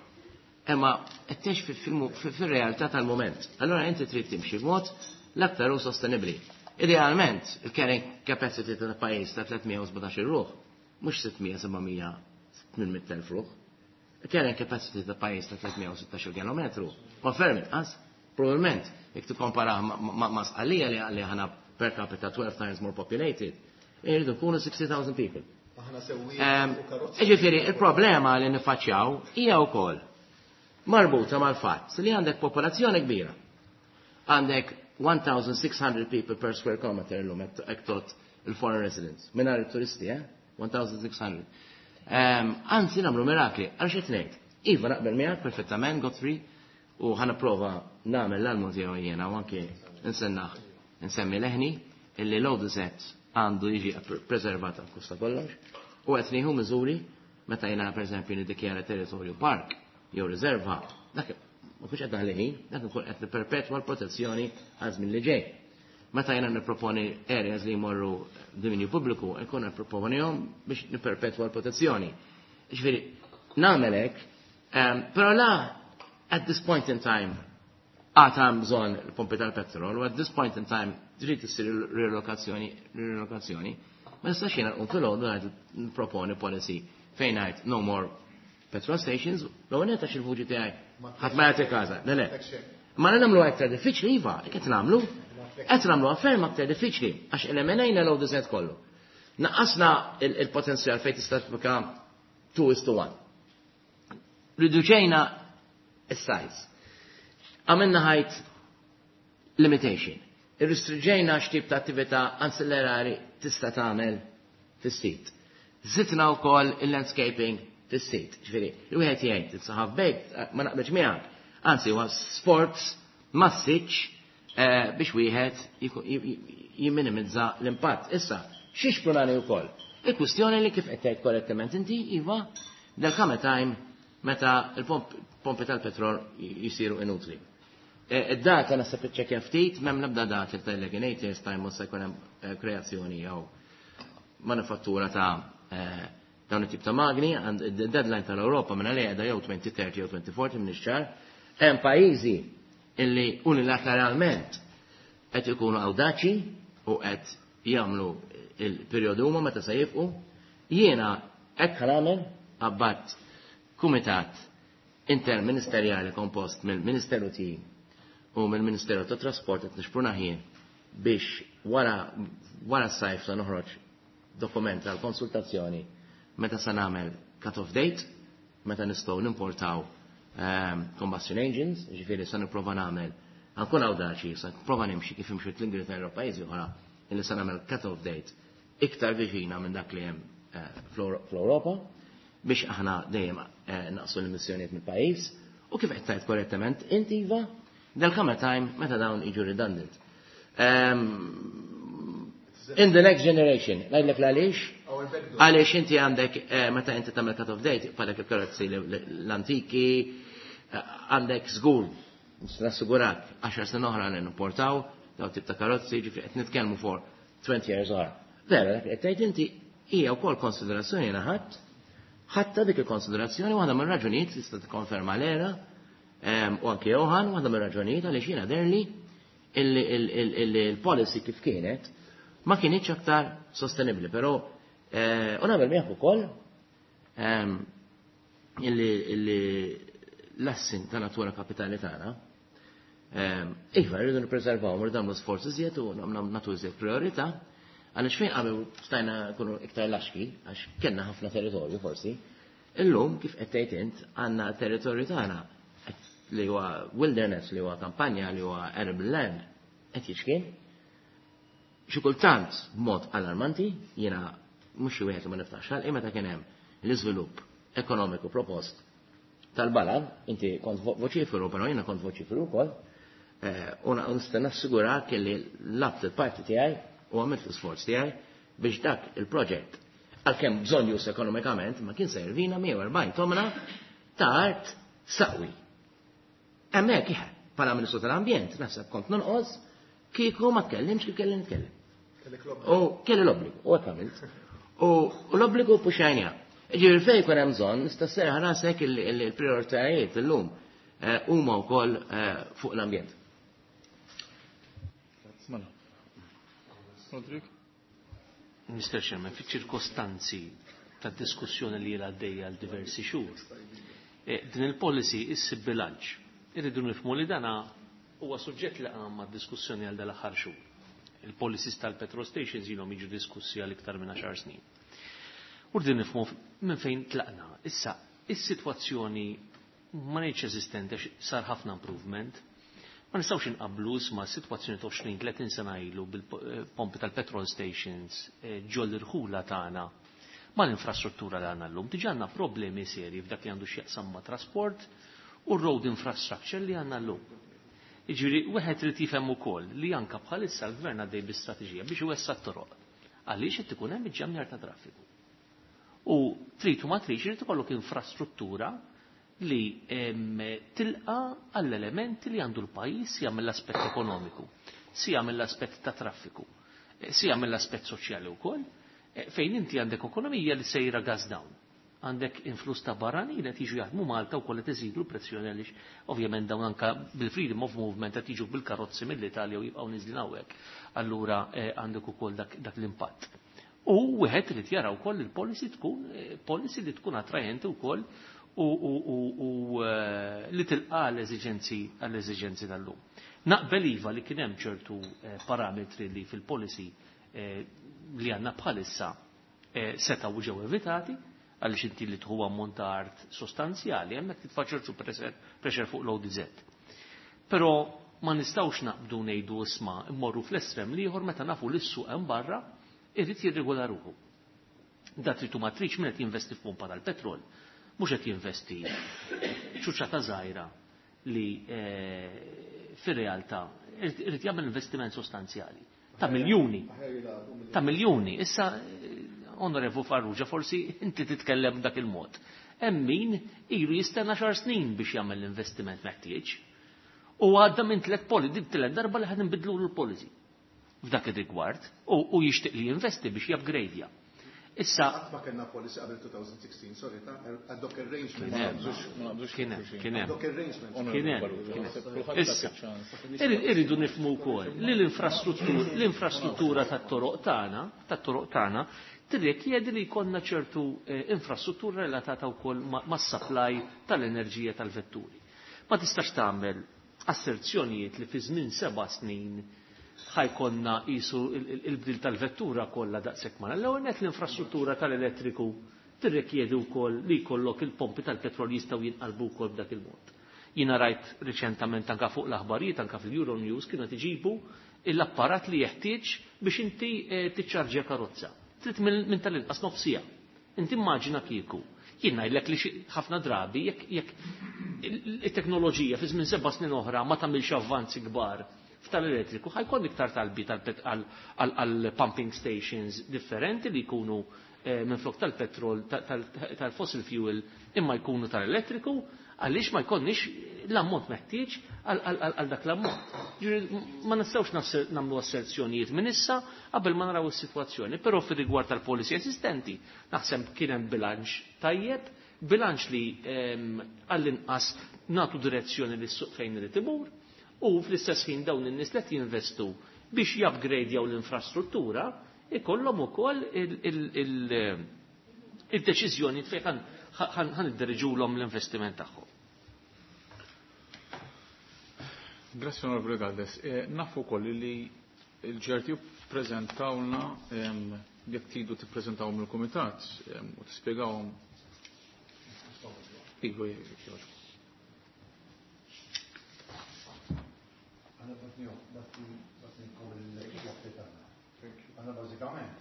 Imma qed tgħix fi-, fil-mu-, fi-, fir-realtà tal-mument. Allura inti trid timxi b'mod l-aktar hu sostenibbli. Idealment, il-carrying capacity tal-pajjiż ta' tliet mija u sbatax-il ruħ, mhux sitt mija, seba' mija, tmien mitt elf ruħ. Il-carrying capacity ta' pajjiż ta' tliet mija u sittax-il kilometru, ma ferm inqas, probabbilment, jekk tikkomparah ma' Sqallija li aħna per capita twelve times more populated, irridu nkunu sixty thousand people. Aħna sewwieqa u karozzi. Jiġifieri, il-problema li niffaċċjaw hija wkoll marbuta mal-fatt li għandek popolazzjoni kbira. Għandek one thousand six hundred people per square kilometer illum hekk tot il-foreign residents. Mingħajr it-turisti, eh? one thousand six hundred. Anzi, nagħmlu mirakli, għal xi tnejn. Iva, naqbel miegħek perfettament, Godfrey, u ħa nipprova nagħmel l-almu tiegħu jiena u anke nsennaħ, nsemmi leħni illi l-O D Z għandu jiġi preservat għal kusta kollox, u qed nieħu miżuri meta jiena pereżempju niddikjara territorju park jew riserva, dak ma kunx qed naħli ħin, dak ikun qed nipperpetwa l-protezzjoni għal żmien li ġej. Meta jiena nipproponi areas li jmorru dominju pubbliku, nkun nipproponihom biex nipperpetwa l-protezzjoni. Ġifieri, nagħmel hekk, ehm, però la at this point in time għad hemm bżonn il-pompi tal-petrol, u at this point in time trid issir rilokazzjoni, rilokazzjoni, ma nistax jiena nqum filgħodu ngħid nipproponi policy fejn ngħid no more petrol stations, l-ewwel nett għax il-vuċi tiegħi ħadd ma jagħti każa. Le, le. Ma nagħmlu aktar diffiċli, iva, qed nagħmlu. Qed nagħmlu ferm aktar diffiċli għax eliminajna l-O D Z kollu. Naqqasna il-, il-potenzjal fejn tista' tibqa' two is to one. Riduċejna is-size. Għamilna height limitation. Irrestrinġejna x'tip ta' attività ansillerari tista' tagħmel fis-sit. Żidna wkoll il-landscaping fis-sit. Ġifieri, il-wieħed jgħid it's a half baked, ma naqbilx miegħek. Anzi, huwa sforz massiċ, eh, biex wieħed jiku-, ji-, ji-, jimminimizza l-impatt. Issa, xiex prunani wkoll? Il-kwistjoni li kif qed tgħid korrettament inti, iva, del come time meta il-pompi tal-petrol jisiru inutli. Eh, id-data naħseb iċċekkja ftit, m'hemm l-ebda data li tgħidlek in eight years time mhux se jkun hemm, eh, kreazzjoni jew manifattura ta', eh, dawn it-tip ta' magni, għand id-deadline tal-Ewropa minn għalija qiegħda jew twenty thirty jew twenty forty minn ix-xahar. Hemm pajjiżi illi unilateralment qed ikunu awdaċi u qed jagħmlu il-perjodu huma meta se jifqu. Jiena hekk ħanagħmel abbatt kumitat interministerjali kompost mill-Ministeru tiegħi u mill-Ministeru tat-Trasport qed nixpruna ħin biex wara, wara s-sajf se noħroġ dokument tal-konsultazzjoni meta se nagħmel cut-off date, meta nistgħu nimportaw, ehm, combustion engines, ġifieri se nipprova nagħmel, ankun awdaċi, se nipprova nimxi kif imxu l-Ingilterra u pajjiżi oħra, illi se nagħmel cut-off date iktar viċina minn dak li hemm, eh, fl-Ewropa, biex aħna dejjem, eh, naqsu l-emissjonijiet mill-pajjiż, u kif qed tgħid korrettament, inti iva, del come time meta dawn jiġu redundant. Ehm, in the next generation, ngħidlek l-għaliex? Għaliex inti għandek, eh, meta inti tagħmel cut-off date, bħalek il-karozzi l-antiki, eh, għandek żgur, nassigurak, għaxar sena oħra li nimportaw daw tip ta' karozzi, ġifieri qed nitkellmu for twenty years oħra. Vera, dak qed tgħid inti hija wkoll konsiderazzjoni jiena ħadd, ħatta dik il-konsiderazzjoni waħda mir-raġunijiet li tista' tikkonferma l-era, ehm, u anke Johan, waħda mir-raġunijiet għaliex jiena derli il-policy kif kienet ma kienx aktar sostenibbli, però, eh, u nagħmel miegħek ukoll, ehm, illi, illi l-assin ta' natura kapitali tagħna, ehm, iva, rridu nippreservaw, rridu nagħmlu sforzi iżjed u nagħmlu nagħtu iżjed priorità, għaliex fejn qabel stajna nkunu iktar laxki, għax kellna ħafna territorju forsi, illum kif qed tgħid int għandna territorju tagħna li huwa wilderness, li huwa kampanja, li huwa arable land, qed jiċkien. Xi kultant b'mod allarmanti, jiena mhux xi wieħed li ma niftaħx ħalqi meta kien hemm l-iżvilupp ekonomiku propost tal-Balal, inti kont vo-, voċiferu, però jiena kont voċiferu wkoll, eh, u na-, nista' nassigurak li labt il-parti tiegħi u għamilt l-isforz tiegħi biex dak il-proġett, għalkemm bżonn jus ekonomikament, ma kien servina mija u erbgħin tomna ta' art saqwi. Hemmhekk iħe, bħala Ministru tal-Ambjent, naħseb kont nonqos, kieku ma tkellimx kif kelli nitkellem. U kelli l-obbligu, u hekk għamilt. U l-obbligu puxajnija. Ġifieri fejn jkun hemm bżonn, nista' sserraħ rasek il-, il-, il-prioritajiet illum, eh, huma wkoll, eh, fuq l-ambjent. Mela. Rodrik? Mister Chairman, fiċ-ċirkostanzi tad-diskussjoni li ilha għaddejja għal diversi xhur, din il-policy issib bilanċ. Irridu nifhmu li dana huwa suġġett li qam mad-diskussjoni għal dal-aħħar xhur. Il-policies tal-petrol stations ilhom jiġu diskussi għal iktar minn għaxar snin. U rridu nifhmu minn fejn tlaqna. Issa, is-sitwazzjoni ma ngħidx eżistenti għax sar ħafna improvement. Ma nistgħux inqabblu ma' sitwazzjoni ta' għoxrin tletin sena ilu bil-pompi tal-petrol stations ġol irħula tagħna ma' l-infrastruttura li għandna llum. Diġà għandna problemi serji f'dak li għandu x'jaqsam ma' trasport u road infrastructure li għandna llum. Jiġifieri wieħed irid jifhem ukoll li anke bħalissa l-gvern għaddej bi strateġija biex iwessa' t-toroq. Għaliex qed ikun hemm iġġamjar ta' traffiku. U trid u ma tridx irid ikollok infrastruttura li tilqa għall-elementi li għandu l-pajjiż sija mill-aspett ekonomiku, sija mill-aspett ta' traffiku, sija mill-aspett soċjali wkoll, fejn inti għandek ekonomija li sejra gas down. Għandek influss ta' barranin qed jiġu jaħdmu Malta wkoll qed iżidu l-pressjoni għaliex ovvjament dawn anke bil-freedom of movement qed jiġu bil-karozzi mill-Italja u jibqgħu niżlin hawnhekk. Allura għandek ukoll dak, dak l-impatt. U wieħed irid jara wkoll il-policy tkun policy li tkun attrajenti wkoll u, u, u, u li tilqa l-eżiġenzi għall-eżiġenzi tal-lum. Naqbel iva li kien hemm ċertu parametri li fil-policy li għandna bħalissa setgħu ġew evitati, għaliex inti li tħu ammont ta' art sostanzjali, hemmhekk titfa' ċertu pressure fuq l-O D Z. Però ma nistgħux naqbdu ngħidu isma' immorru fl-estrem l-ieħor meta nafu li s-suq hemm barra irid jirregola ruħu. Da tritu ma tridx min qed jinvesti f'pompa tal-petrol, mhux qed jinvesti ċuċata żgħira li fir-realtà irid jagħmel investiment sostanzjali ta' miljuni. Ta' miljuni. Issa Onorevu Farrugia, forsi inti titkellem dak il-mod. Hemm min ilu jistenna xar snin biex jagħmel l-investiment meħtieġ. U għadda minn tliet poli, dik tliet darba li ħad nbidlu l-policy f'dak ir-rigward u, u jixtieq li jinvesti biex jupgradeja. Issa ma kellna policy qabel twenty sixteen, sorry, ta' ad hoc arrangement. Kien hemm, kien hemm. Ad hoc arrangement. Kien hemm. Issa, irridu nifhmu wkoll li l-infrastruttura, l-infrastruttura tat-toroq tagħna, tat-toroq tagħna tirrikjedi li jkollna ċertu infrastruttura relatata wkoll mas-supply tal-enerġija tal-vetturi. Ma tistax tagħmel asserzjonijiet li fi żmien seba' snin ħajkonna qisu il-bdil tal-vettura kollha daqshekk ma. L-ewwel nett l-infrastruttura tal-elettriku tirrikjedi wkoll li jkollok il-pompi tal-petrol jistgħu jinqalbu wkoll b'dak il-mod. Jiena rajt riċentament anke fuq l-aħbarijiet anke fil-Euronews kienu qed iġibu l-apparat li jeħtieġ biex inti tiċċarġja karozza. Trid minn tal-inqas nofsija. Inti immaġina kieku. Jien ngħidlek li ħafna drabi jekk jekk it-teknoloġija fi żmien seba' snin oħra ma tagħmilx avvanzi kbar f'tal-elettriku ħajkun iktar talbi għal pumping stations differenti li jkunu minflok tal-petrol, tal-fossil fuel imma jkunu tal-elettriku, għaliex ma jkollniex l-ammont meħtieġ għal dak l-ammont. Ma nistgħux nagħmlu asserzjonijiet minn issa qabel ma naraw is-sitwazzjoni, però fir-rigward tal-policy esistenti naħseb kien hemm bilanċ tajjeb, bilanċ li għall-inqas nagħtu direzzjoni lis-suq fejn irid imur, u fl-istess ħin dawn in-nies li qed jinvestu biex jupgradejaw l-infrastruttura ikollhom ukoll il-deċiżjoni fejn ħan iddiriġulhom l-investiment tagħhom. Grazie Onorevole Galdes. Nafu wkoll li l-G R T U ppreżentawlna jekk tridu tippreżentawhom il-kumitat u tispjegawhom. Iva, jogħġbok. Aħna bażikament.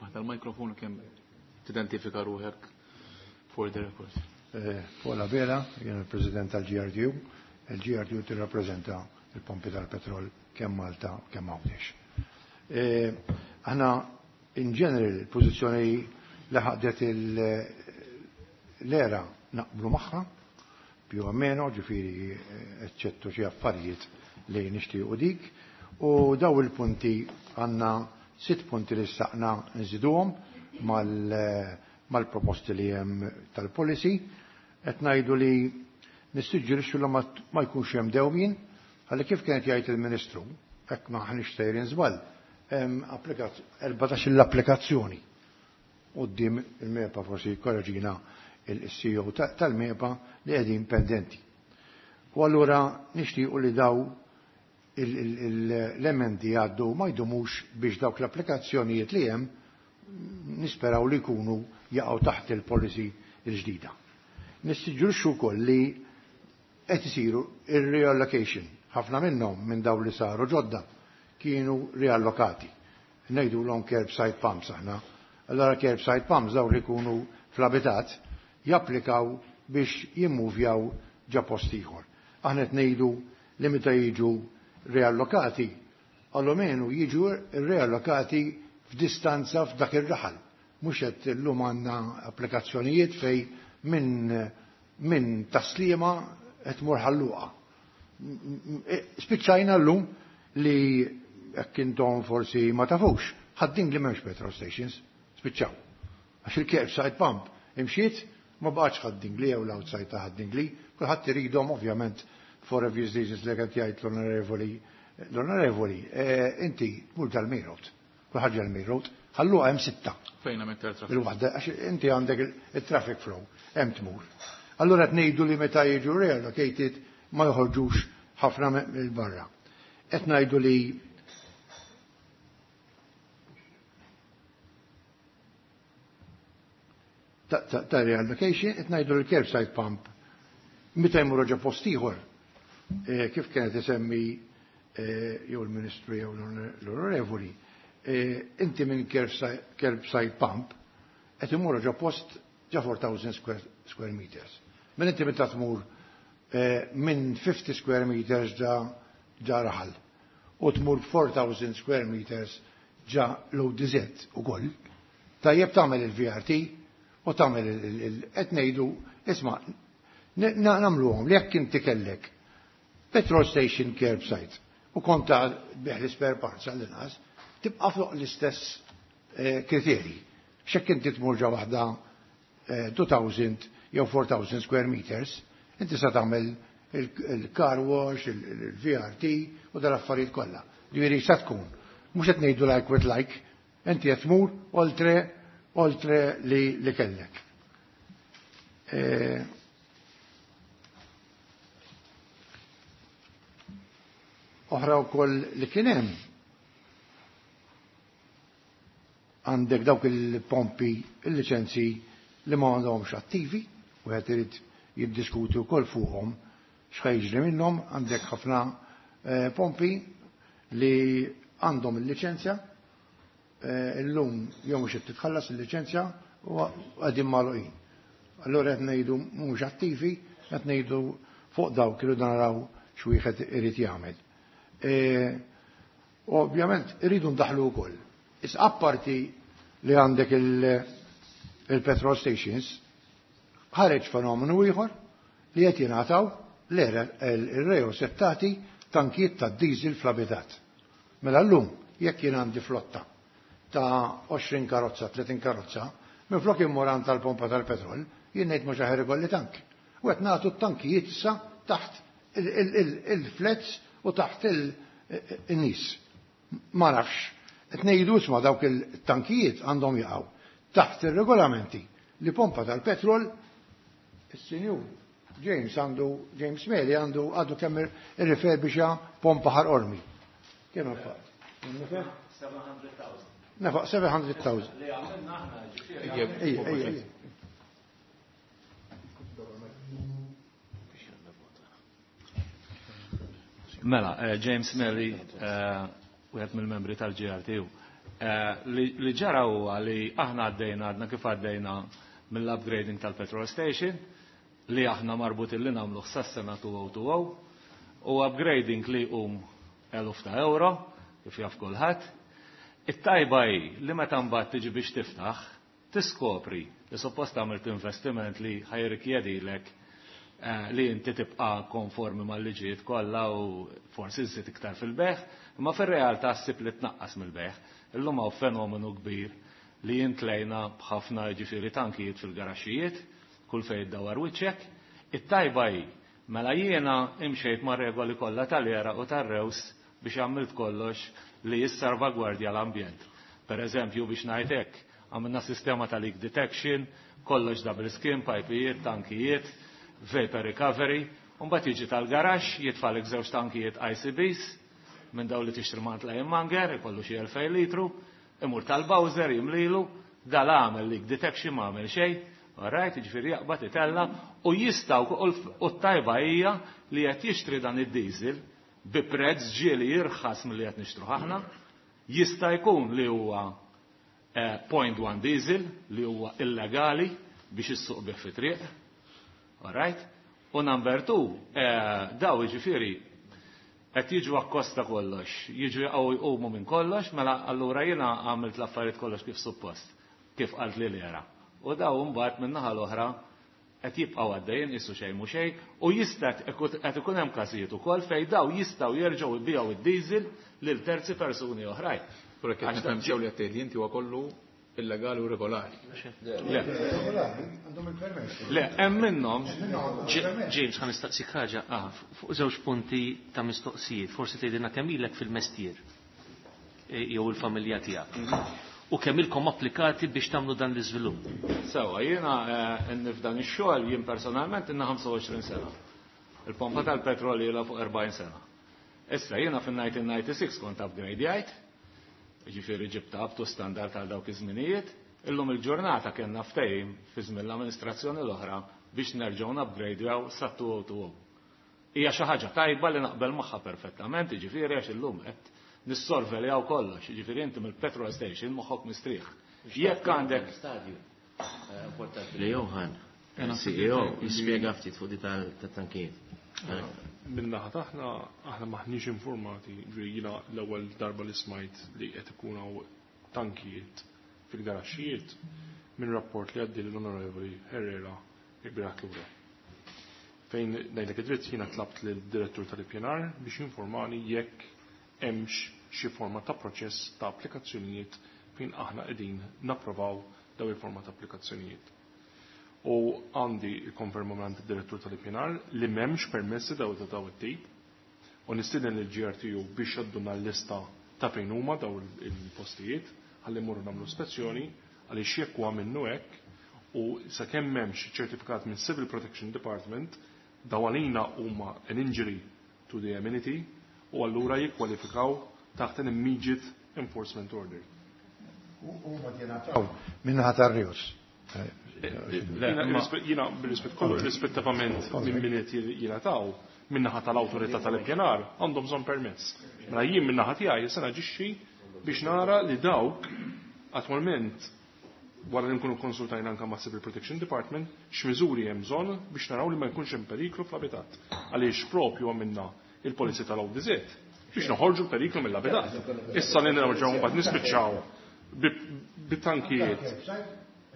Maħta l-mikrofon kemm tidentifika ruħek for the record. Paul Abela, jien il-President tal-G R T U. Il-G R T U tirrappreżenta il-pompi tal-petrol kemm Malta kemm Għawdex. Aħna in general il-pożizzjoni li ħadet l-era naqblu magħha più o meno, ġifieri eċċettu xi affarijiet li nixtiequ dik, u daw il-punti għandna sitt punti li saqna nżiduhom mal-proposti li hemm tal-policy, qed ngħidu li nissuġġerixxu li ma jkunx hemm dewmien, ħalli kif kienet jgħid il-Ministru, hekk ma ħniex sejrin żball, hemm erbatax l-applikazzjoni quddiem il-MEPA, forsi korreġina il-C E O tal-MEPA, li qegħdin pendenti. U allura nixtiequ li daw l-emendi għaddu ma jdumux biex dawk l-applikazzjonijiet li hemm nisperaw li jkunu jaqgħu taħt il-policy il-ġdida. Nistiġġurxu wkoll li qed isiru ir-reallocation. Ħafna minnhom minn daw li saru ġodda kienu riallokati. Ngħidulhom curbside pumps aħna. Allora curbside pumps daw li jkunu fl-abitat japplikaw biex jimmuvjaw ġa post ieħor. Aħna qed ngħidu li meta jiġu riallokati, allomenu jiġu riallokati f'distanza f'dak ir-raħal. Mhux qed illum għandna applikazzjonijiet fej minn, minn taslima qed tmur ħalluqa. Spiċċajna llum li jekk intom forsi ma tafux, ħaddin li m'hemmx petrol stations, spiċċaw. Għax il-curbside pump imxiet ma baqgħetx Ħad-Dingli jew l-outside ta' Ħad-Dingli, kulħadd iridhom ovvjament for obvious reasons li qed jgħid l-onorevoli, l-onorevoli, eh, inti tmur tal-main road, kulħadd ġal-main road, ħalluha hemm sitta. Fejn hemm iktar traffic? Il-waħda, għax inti għandek il-, il-traffic flow, hemm tmur. Allura qed ngħidu li meta jiġu reallocated ma joħorġux ħafna mill-barra. Qed ngħidu li ta', ta', ta' reallocation, qed ngħidu li l-curbside pump meta jmur ġo post ieħor, eh, kif kienet isemmi, eh, jew il-Ministru jew l-Onorevoli, eh, inti minn curbside, curbside pump qed imur ġo post ġo four thousand square, square meters. Minn inti meta tmur, eh, minn fifty square meters ġa, ġa raħal u tmur four thousand square meters ġa l-O D Z ukoll, tajjeb tagħmel il-V R T u tagħmel il-, il-, qed ngħidu, isma', n-, na-, nagħmluhom li jekk inti kellek petrol station curbside u konta biħ l-spare parts għall-inqas, tibqa' fuq l-istess, eh, kriterji. X'hekk inti tmur ġa waħda, eh, two thousand jew four thousand square meters, inti sa tagħmel il-, il-car wash, il-, il-V R T u dal-affarijiet kollha. Ġifieri sa tkun. Mhux qed ngħidu like with like, inti qed tmur oltre, oltre li, li kellek. Eh, oħra wkoll li kien hemm għandek dawk il-pompi, il-liċenzji li ma għandhomx attivi, u qed irid jiddiskuti wkoll fuqhom x'ħa jiġri minnhom, għandek ħafna, eh, pompi li għandhom il-liċenzja, eh, illum jew mhux qed titħallas il-liċenzja u qegħdin magħluqin. Allura qed ngħidu mhux attivi, qed ngħidu fuq dawk irridu naraw x'wieħed irid jagħmel. Eh, ovvjament irridu ndaħlu wkoll. Issa apparti li għandek il-, il-petrol stations, ħareġ fenomenu ieħor li qed jingħataw l-reo settati tankijiet ta' diesel fl-abitat. Mela llum jekk jien għandi flotta ta' għoxrin karozza, tletin karozza, minflok immur għand tal-pompa tal-petrol, jien ngħid mhux aħjar ikolli tank. U qed nagħtu t-tankijiet issa taħt il-, il-, il-, il-flets u taħt il-, il-nies. Ma nafx. Qed ngħidu isma' dawk il-tankijiet għandhom jaqgħu taħt ir-regolamenti li pompa tal-petrol is-sinjur James għandu, James Meli għandu għadu kemm irriferbixa pompa ħar ormi. Kemm nefaq? Nefaq seven hundred thousand. Li għamilna aħna, ġifieri. Ejja, Ejja, ejja, ejja. Mela, eh, James Meli, eh, wieħed mill-membri tal-G R T U. Eh, li, li ġara huwa li aħna għaddejna, għadna kif għaddejna mill-upgrading tal-petrol station, li aħna marbutin li nagħmlu sas-sena two oh two oh, u upgrading li jqum eluf ta' euro, kif jaf kulħadd. It-tajba hi li meta mbagħad tiġi biex tiftaħ, tiskopri li suppost għamilt investiment li ħajrikjedilek, eh, li inti tibqa' konformi mal-liġijiet kollha u forsi żżid iktar fil-beħ, imma fir-realtà ssib li tnaqqas mill-beħ. Illum hawn fenomenu kbir li jintlejna b'ħafna ġifieri tankijiet fil-garaxxijiet, kull fejn iddawwar wiċċek. It-tajba hi, mela jiena imxejt mar-regoli kollha tal-era u tar-rews biex għamilt kollox li jissalvagwardja l-ambjent. Per eżempju, biex ngħid hekk, għamilna sistema ta' leak detection, kollox double skin, pipijiet, tankijiet, vapor recovery, u mbagħad jiġi tal-garaxx, jitfalek żewġ tankijiet I C Bs, minn daw li tixtri mant lejn manger, ikollu xi elfejn litru, imur tal-Bowser jimlilu, dal għamel leak detection ma għamel xejn, all right, jiġifieri jaqbad itella, u jistgħu u t-tajba hija li qed jixtri dan id-diesel bi prezz ġieli jirħas milli qed nixtru aħna, jista' jkun li huwa, eh, point one diesel li huwa illegali biex issuq bih fi triq, all right? U number two, eh, daw jiġifieri qed jiġu akkosta kollox, jiġu jaqgħu jqumu minn kollox, mela allura jiena għamilt l-affarijiet kollox kif suppost, kif qalt li l-era. U daw mbagħad min-naħa l-oħra qed jibqgħu għaddejjin qisu xejn mhu xejn, u jista' qed ikun hemm każijiet ukoll fejn daw jistgħu jerġgħu jbigħu id-diesel lil terzi persuni oħrajn. Però kif Għax nifhem sew li qed tgħid inti huwa kollu illegali u regolari. Le. Regolari, għandhom il-permess. Le, hemm minnhom. James, ħa nistaqsik ħaġa. Aha. Fuq żewġ punti ta' mistoqsijiet, forsi tgħidilna kemm ilek fil-mestier, e, jew il-familja tiegħek. Mhm. U kemm ilkom applikati biex tagħmlu dan l-iżvilupp? Sewa, jiena, eh, nifdan ix-xogħol jien personalment inna ħamsa u għoxrin sena. Il-pompa tal-petrol ilha fuq erbgħin sena. Issa jiena fin-nineteen ninety-six kont upgrade-jajt, jiġifieri ġibta up to standard għal dawk iż-żminijiet, illum il-ġurnata kellna ftehim fi żmien l-amministrazzjoni l-oħra biex nerġgħu nupgradejaw sa two oh two oh. Hija xi ħaġa tajba li naqbel magħha perfettament, jiġifieri għax illum qed nissorveljaw kollox, jiġifieri inti mill-petrol station moħħok mistrieħ. Jekk għandek stadju, eh, importanti li Johan, C E O, jispjega ftit fuq di tal-, tat-tankijiet. Min-naħa taħna, aħna maħniex informati, ġifieri jiena l-ewwel darba li smajt li qed ikun hawn tankijiet fil-garaxxijiet minn rapport li għaddi l-Onorevoli Herrera il-bieraħ lura. Fejn ngħidlek id-dritt jiena tlabt lid-direttur tal-I P N R biex jinformani jekk hemmx xi forma ta' proċess ta' applikazzjonijiet fejn aħna qegħdin napprovaw daw il-forma ta' applikazzjonijiet. U għandi il-konferma minn id-direttur tal-I P N R li m'hemmx permessi daw ta' daw it-tip u nistieden lill G R T U biex jadduna l-lista ta' fejn huma daw il-postijiet ħalli mmorru nagħmlu spezzjoni għaliex jekk huwa minnu hekk u sakemm m'hemmx ċertifikat minn Civil Protection Department daw għalina huma an injury to the amenity u allura jikkwalifikaw taħt an immediate enforcement order. Huma jingħataw minnaħa tar-Rius. Jiena bil-rispett kollu, rispettivament minn min qed jingħataw minnaħa tal-awtorità tal-ippjanar għandhom bżonn permess. Mela jien minnaħa tiegħi se naġixxi biex nara li dawk attwalment wara li nkunu konsultajna anke ma' Civil Protection Department x'miżuri hemm bżonn biex naraw li ma jkunx hemm periklu fl-abitat. Għaliex propju għamilna il-polizja tal-O D Z biex noħorġu l-periklu mill-abitat. Issa li nerġgħu mbagħad nispiċċaw bit-tankijiet.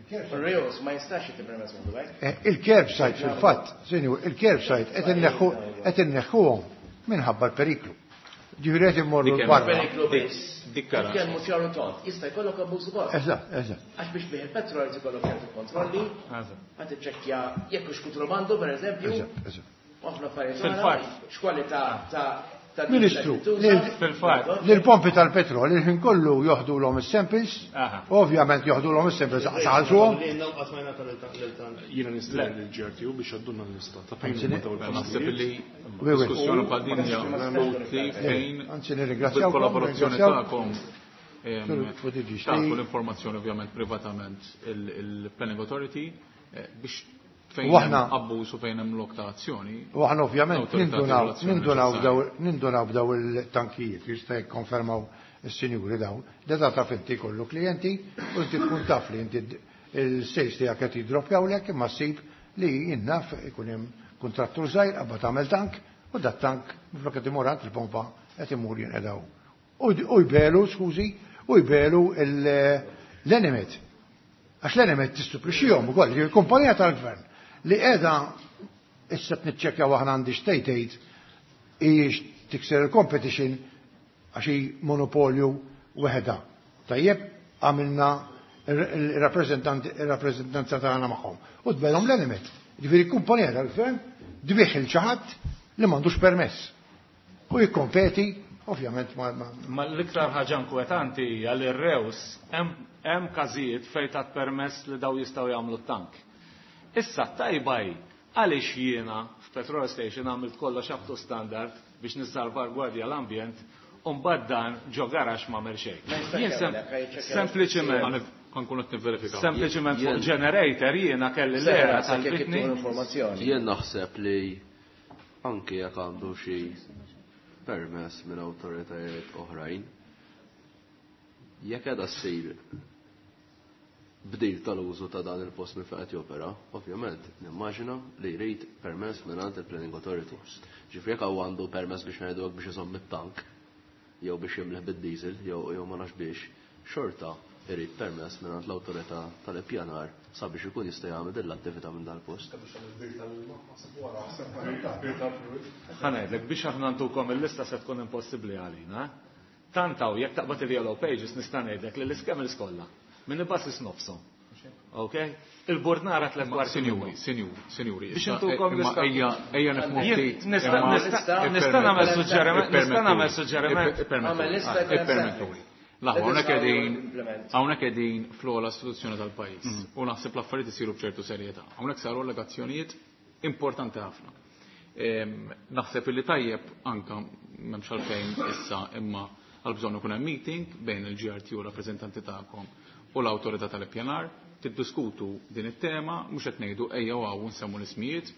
Reos ma jistax jittipermess minn Dubai. Eh, il-curbside fil-fatt, sinjur, il-curbside qed inneħħu, qed inneħħuhom minħabba l-periklu. Ġifieri qed immorru Dik hemm l-barra. Periklu biss. Dik kara. Nitkellmu ċaru tont, jista' jkollok abbuż ukoll. Eżatt, eżatt. Għax biex bih il-petrol jrid ikollok ċertu kontrolli, Eżatt. ħadd iċċekkja jekk hux kutrabandu pereżempju. Eżatt, eżatt. Ħafna affarijiet Fil-fatt. oħra, x'kwalità ta' ta' Ministru, diesel li tuża. lil- Fil-fatt. Lil-pompi tal-petrol, il-ħin kollu joħdu l-om is-samples, Aha. ovvjament joħdu l-om is-samples, saħalsuhom. Jiena nistieden lil G R T U biex għaddunna l-lista ta' fejn Anzi, huma dawn Naħseb il-postijiet. li Oui, oui. diskussjoni bħal din hija utli fejn Anzi, nirringrazzjawkom, bil-kollaborazzjoni nirringrazzjawkom. tagħkom, ehm, Sur Futiġi, tagħtu xti- l-informazzjoni ovvjament privatament il-, il-Planning Authority, eh, biex fejn U aħna hemm abbuż u fejn hemm lok ta' azzjoni. U aħna ovvjament L-awtorità nindunaw, regolazzjoni nindunaw neċessarja. b'daw, nindunaw b'daw il-tankijiet, jista' jikkonfermaw is-sinjuri dawn. Da taf inti kollu klijenti u inti tkun taf li inti d-, il-sales tiegħek qed jiddroppjawlek imma ssib li jinnaf ikun hemm kuntrattur żgħir qabad tagħmel tank u dat tank minflok qed imur għand il-pompa qed imur jinqedaw. U d-, u jbelu, skużi, u jbelu il-, l-Enemed. Għax l-Enemed tistuprixxihom ukoll, il-kumpanija tal-gvern li qiegħda issa tniċċekkjaw aħna għandi state aid hijiex tikser il-competition għax hi monopolju weħda. Tajjeb, għamilna il-rappreżentanti, il-rappreżentanza tagħna magħhom. U tbelhom l-Enemed. Ġifieri kumpanija tal-gvern dbieħ il xi ħadd li m'għandux permess. U jikkompeti Ovvjament ma. Ma l-iktar ħaġa inkwetanti hija li r-Reus hemm każijiet fejn tat permess li daw jistgħu jagħmlu t-tank. Issa tajba hi għaliex jiena f'petrol station għamilt kollox up to standard biex nissalvagwardja l-ambjent u mbagħad dan ġo garaxx m'għamel xejn. Jien sempliċement Ħankun qed nivverifikaw. Sempliċement fuq generator jiena kelli l-era tal-bitni. Jien naħseb li anke jekk għandu xi permess minn awtoritajiet oħrajn, jekk qiegħda ssir bdil tal-użu ta' dan il-post minn fejn qed jopera, ovvjament nimmaġina li jrid permess mingħand il-Planning Authority. Ġifieri jekk hawn għandu permess biex ngħidu biex iżomm it-tank jew biex jimleh bid-diesel jew jew ma nafx biex, xorta irid permess mingħand l-awtorità tal-ippjanar sabiex ikun jista' jagħmel din l-attività minn dal-post. Ħa ngħidlek biex aħna ntukom il-lista se tkun impossibbli għalina. Tant hawn jekk taqbad il-yellow pages nista' ngħidlek li l-iskemils kollha minn il-basis nofshom. Ok? Il-bordnara tliet kwarti. Sinjuri, sinjuri, sinjuri. Biex intukom lista. Ejja, ejja nifhmu ftit. Nista' nista' nagħmel suġġeriment, nista' nagħmel suġġeriment. Ippermettuli. Laħwa, hawnhekk qegħdin hawnhekk qegħdin fl-ogħla istituzzjoni tal-pajjiż u naħseb l-affarijiet isiru b'ċertu serjetà. Hawnhekk saru allegazzjonijiet importanti ħafna. Naħseb illi tajjeb anka m'hemmx għalfejn issa imma għal bżonn ikun hemm meeting bejn il-G R T U, rappreżentanti tagħkom, u l-awtorità tal-ippjanar, tiddiskutu din it-tema, mhux qed ngħidu ejja hawn nsemmu l-ismijiet,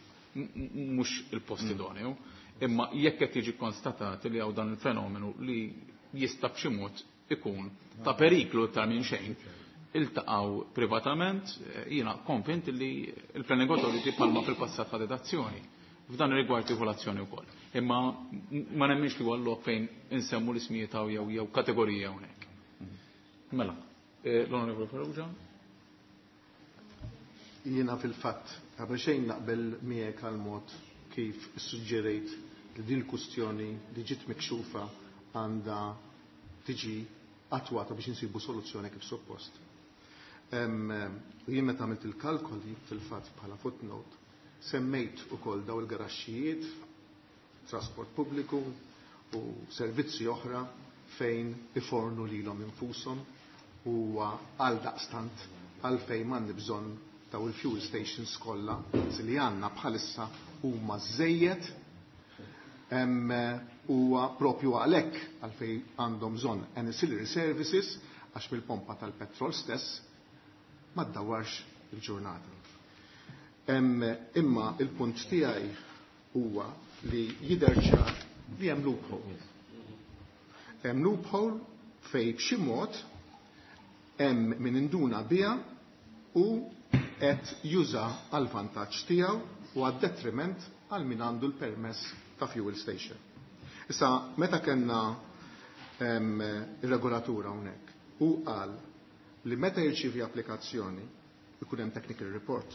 mhux il-post idoneu, imma jekk qed jiġi konstatat li hawn dan il-fenomenu li jista' b'xi mod ikun ta' periklu iktar minn xejn, iltaqgħu privatament, jiena konvint li il-Planning Authority palma fil-passat ħadet azzjoni. F'dan ir-rigward tieħu l-azzjoni wkoll. Imma ma nemminx li huwa lok fejn insemmu l-ismijiet jew jew kategorija hawnhekk. Mela, l-Onorevoli Farrugia. Jiena fil-fatt qabel xejn naqbel miegħek għal mod kif issuġġerejt li din il-kustjoni li ġiet mikxufa għandha tiġi attwata biex insibu soluzzjoni kif suppost. Jien meta għamilt il-kalkoli fil-fatt bħala footnote, semmejt ukoll daw il-garaxxijiet, trasport pubbliku u servizzi oħra fejn ifornu lilhom infushom u għal daqstant għalfejn m'għandi bżonn daw il-fuel stations kollha li għandna bħalissa huma żejjed huwa propju għalhekk għalfejn għandhom bżonn ancillary services għax mill-pompa tal-petrol stess ma ddawwarx il-ġurnata. Imma il-punt tiegħi huwa li jidher ċar li hemm loophole. Hemm loophole fejn b'xi mod hemm min induna biha u qed juża għal vantaġġ tiegħu u għad-detriment għal min għandu l-permess ta' fuel station. Issa, meta kellna ir-regolatura hawnhekk, u qal li meta jirċievi applikazzjoni ikun hemm technical report.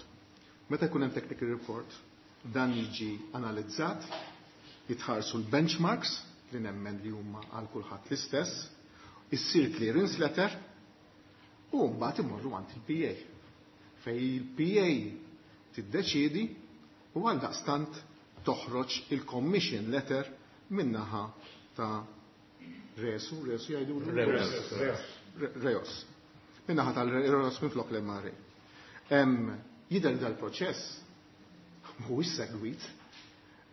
Meta jkun hemm technical report, dan jiġi analizzat, jitħarsu l-benchmarks li nemmen li huma għal kulħadd l-istess, issir clearance letter u mbagħad imorru għand il-P A. Fej il-P A tiddeċiedi u għal daqstant toħroġ il-commission letter minnaħa ta' Resu, Resu jgħidu? Reus. Reos. Minnaħa tal-Reos minn flok l-M R A. Jidher dal-proċess mhuwiex segwit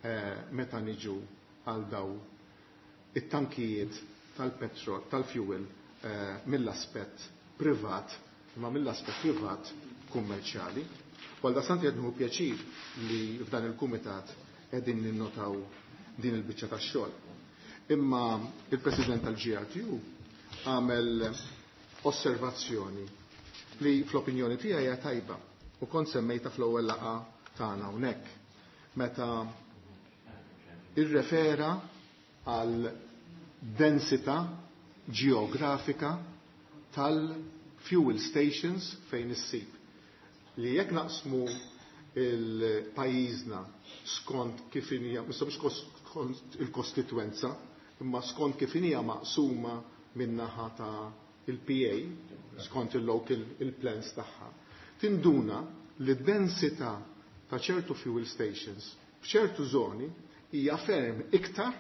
eh, meta niġu għal daw it-tankijiet tal-petrol, tal-fuel eh, mill-aspett privat, imma mill-aspett privat kummerċjali. Għal daqstant qed nieħu pjaċir li f'dan il-kumitat qegħdin ninnotaw din il-biċċa tax-xogħol. Imma il-President tal-G R T U għamel osservazzjoni li fl-opinjoni tiegħi hija tajba u kont semmejta fl-ewwel laqgħa tagħna hawnhekk meta irrefera għal densità ġeografika tal-fuel stations fejn issib. Li jekk naqsmu il-pajjiżna skont kif hija, mhux skont il-kostitwenza, imma skont kif hija maqsuma min-naħa ta' il-P A, skont il-local il-plans tagħha. Tinduna li d-densità ta' ċertu fuel stations f'ċertu zoni hija ferm iktar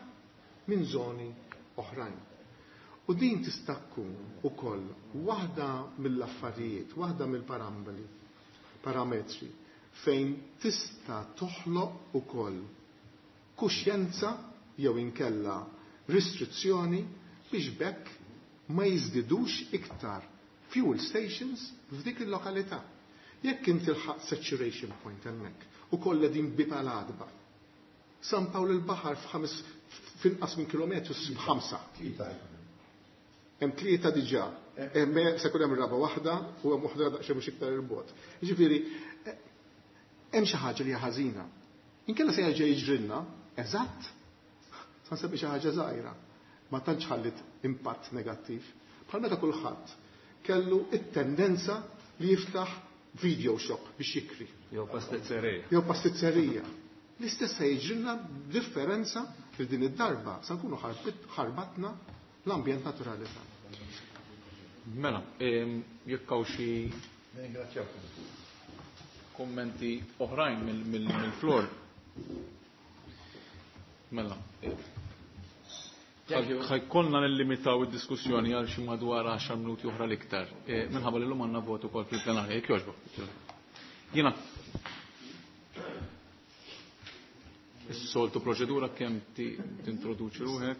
minn zoni oħrajn. U din tista' tkun ukoll waħda mill-affarijiet, waħda mill-paramboli, parametri fejn tista' toħloq ukoll kuxjenza jew inkella restrizzjoni biex bekk ma jiżdidux iktar fuel stations f'dik il-lokalità. Jekk inti tilħaq saturation point hemmhekk u kollha din bieb għal għadba. San Pawl il-Baħar f'ħames f'inqas minn kilometru ssib ħamsa. Hemm tlieta diġà. Hemm se jkun hemm raba' waħda u hemm waħda daqsxejn mhux iktar il-bogħod. Jiġifieri hemm xi ħaġa li hija ħażina. Inkella se jerġa' jiġrilna eżatt sa nsemmi xi ħaġa żgħira. Ma tantx ħallit impatt negattiv. Bħal meta kulħadd kellu it-tendenza li jiftaħ video shop biex jikri. Jew pastizzerija. Jew pastizzerija. L-istess se jiġrilna differenza li din id-darba sa nkunu ħarbatna l-ambjent naturali tagħna. Mela, jekk hawn xi kummenti oħrajn mill-flor. Mela, ħajkollna nillimitaw id-diskussjoni għal xi madwar għaxar minuti oħra l-iktar. Minħabba li llum għandna votu wkoll fil-plenarja, jekk jogħġbok. Jiena is-soltu proċedura kemm tintroduċi ruħek.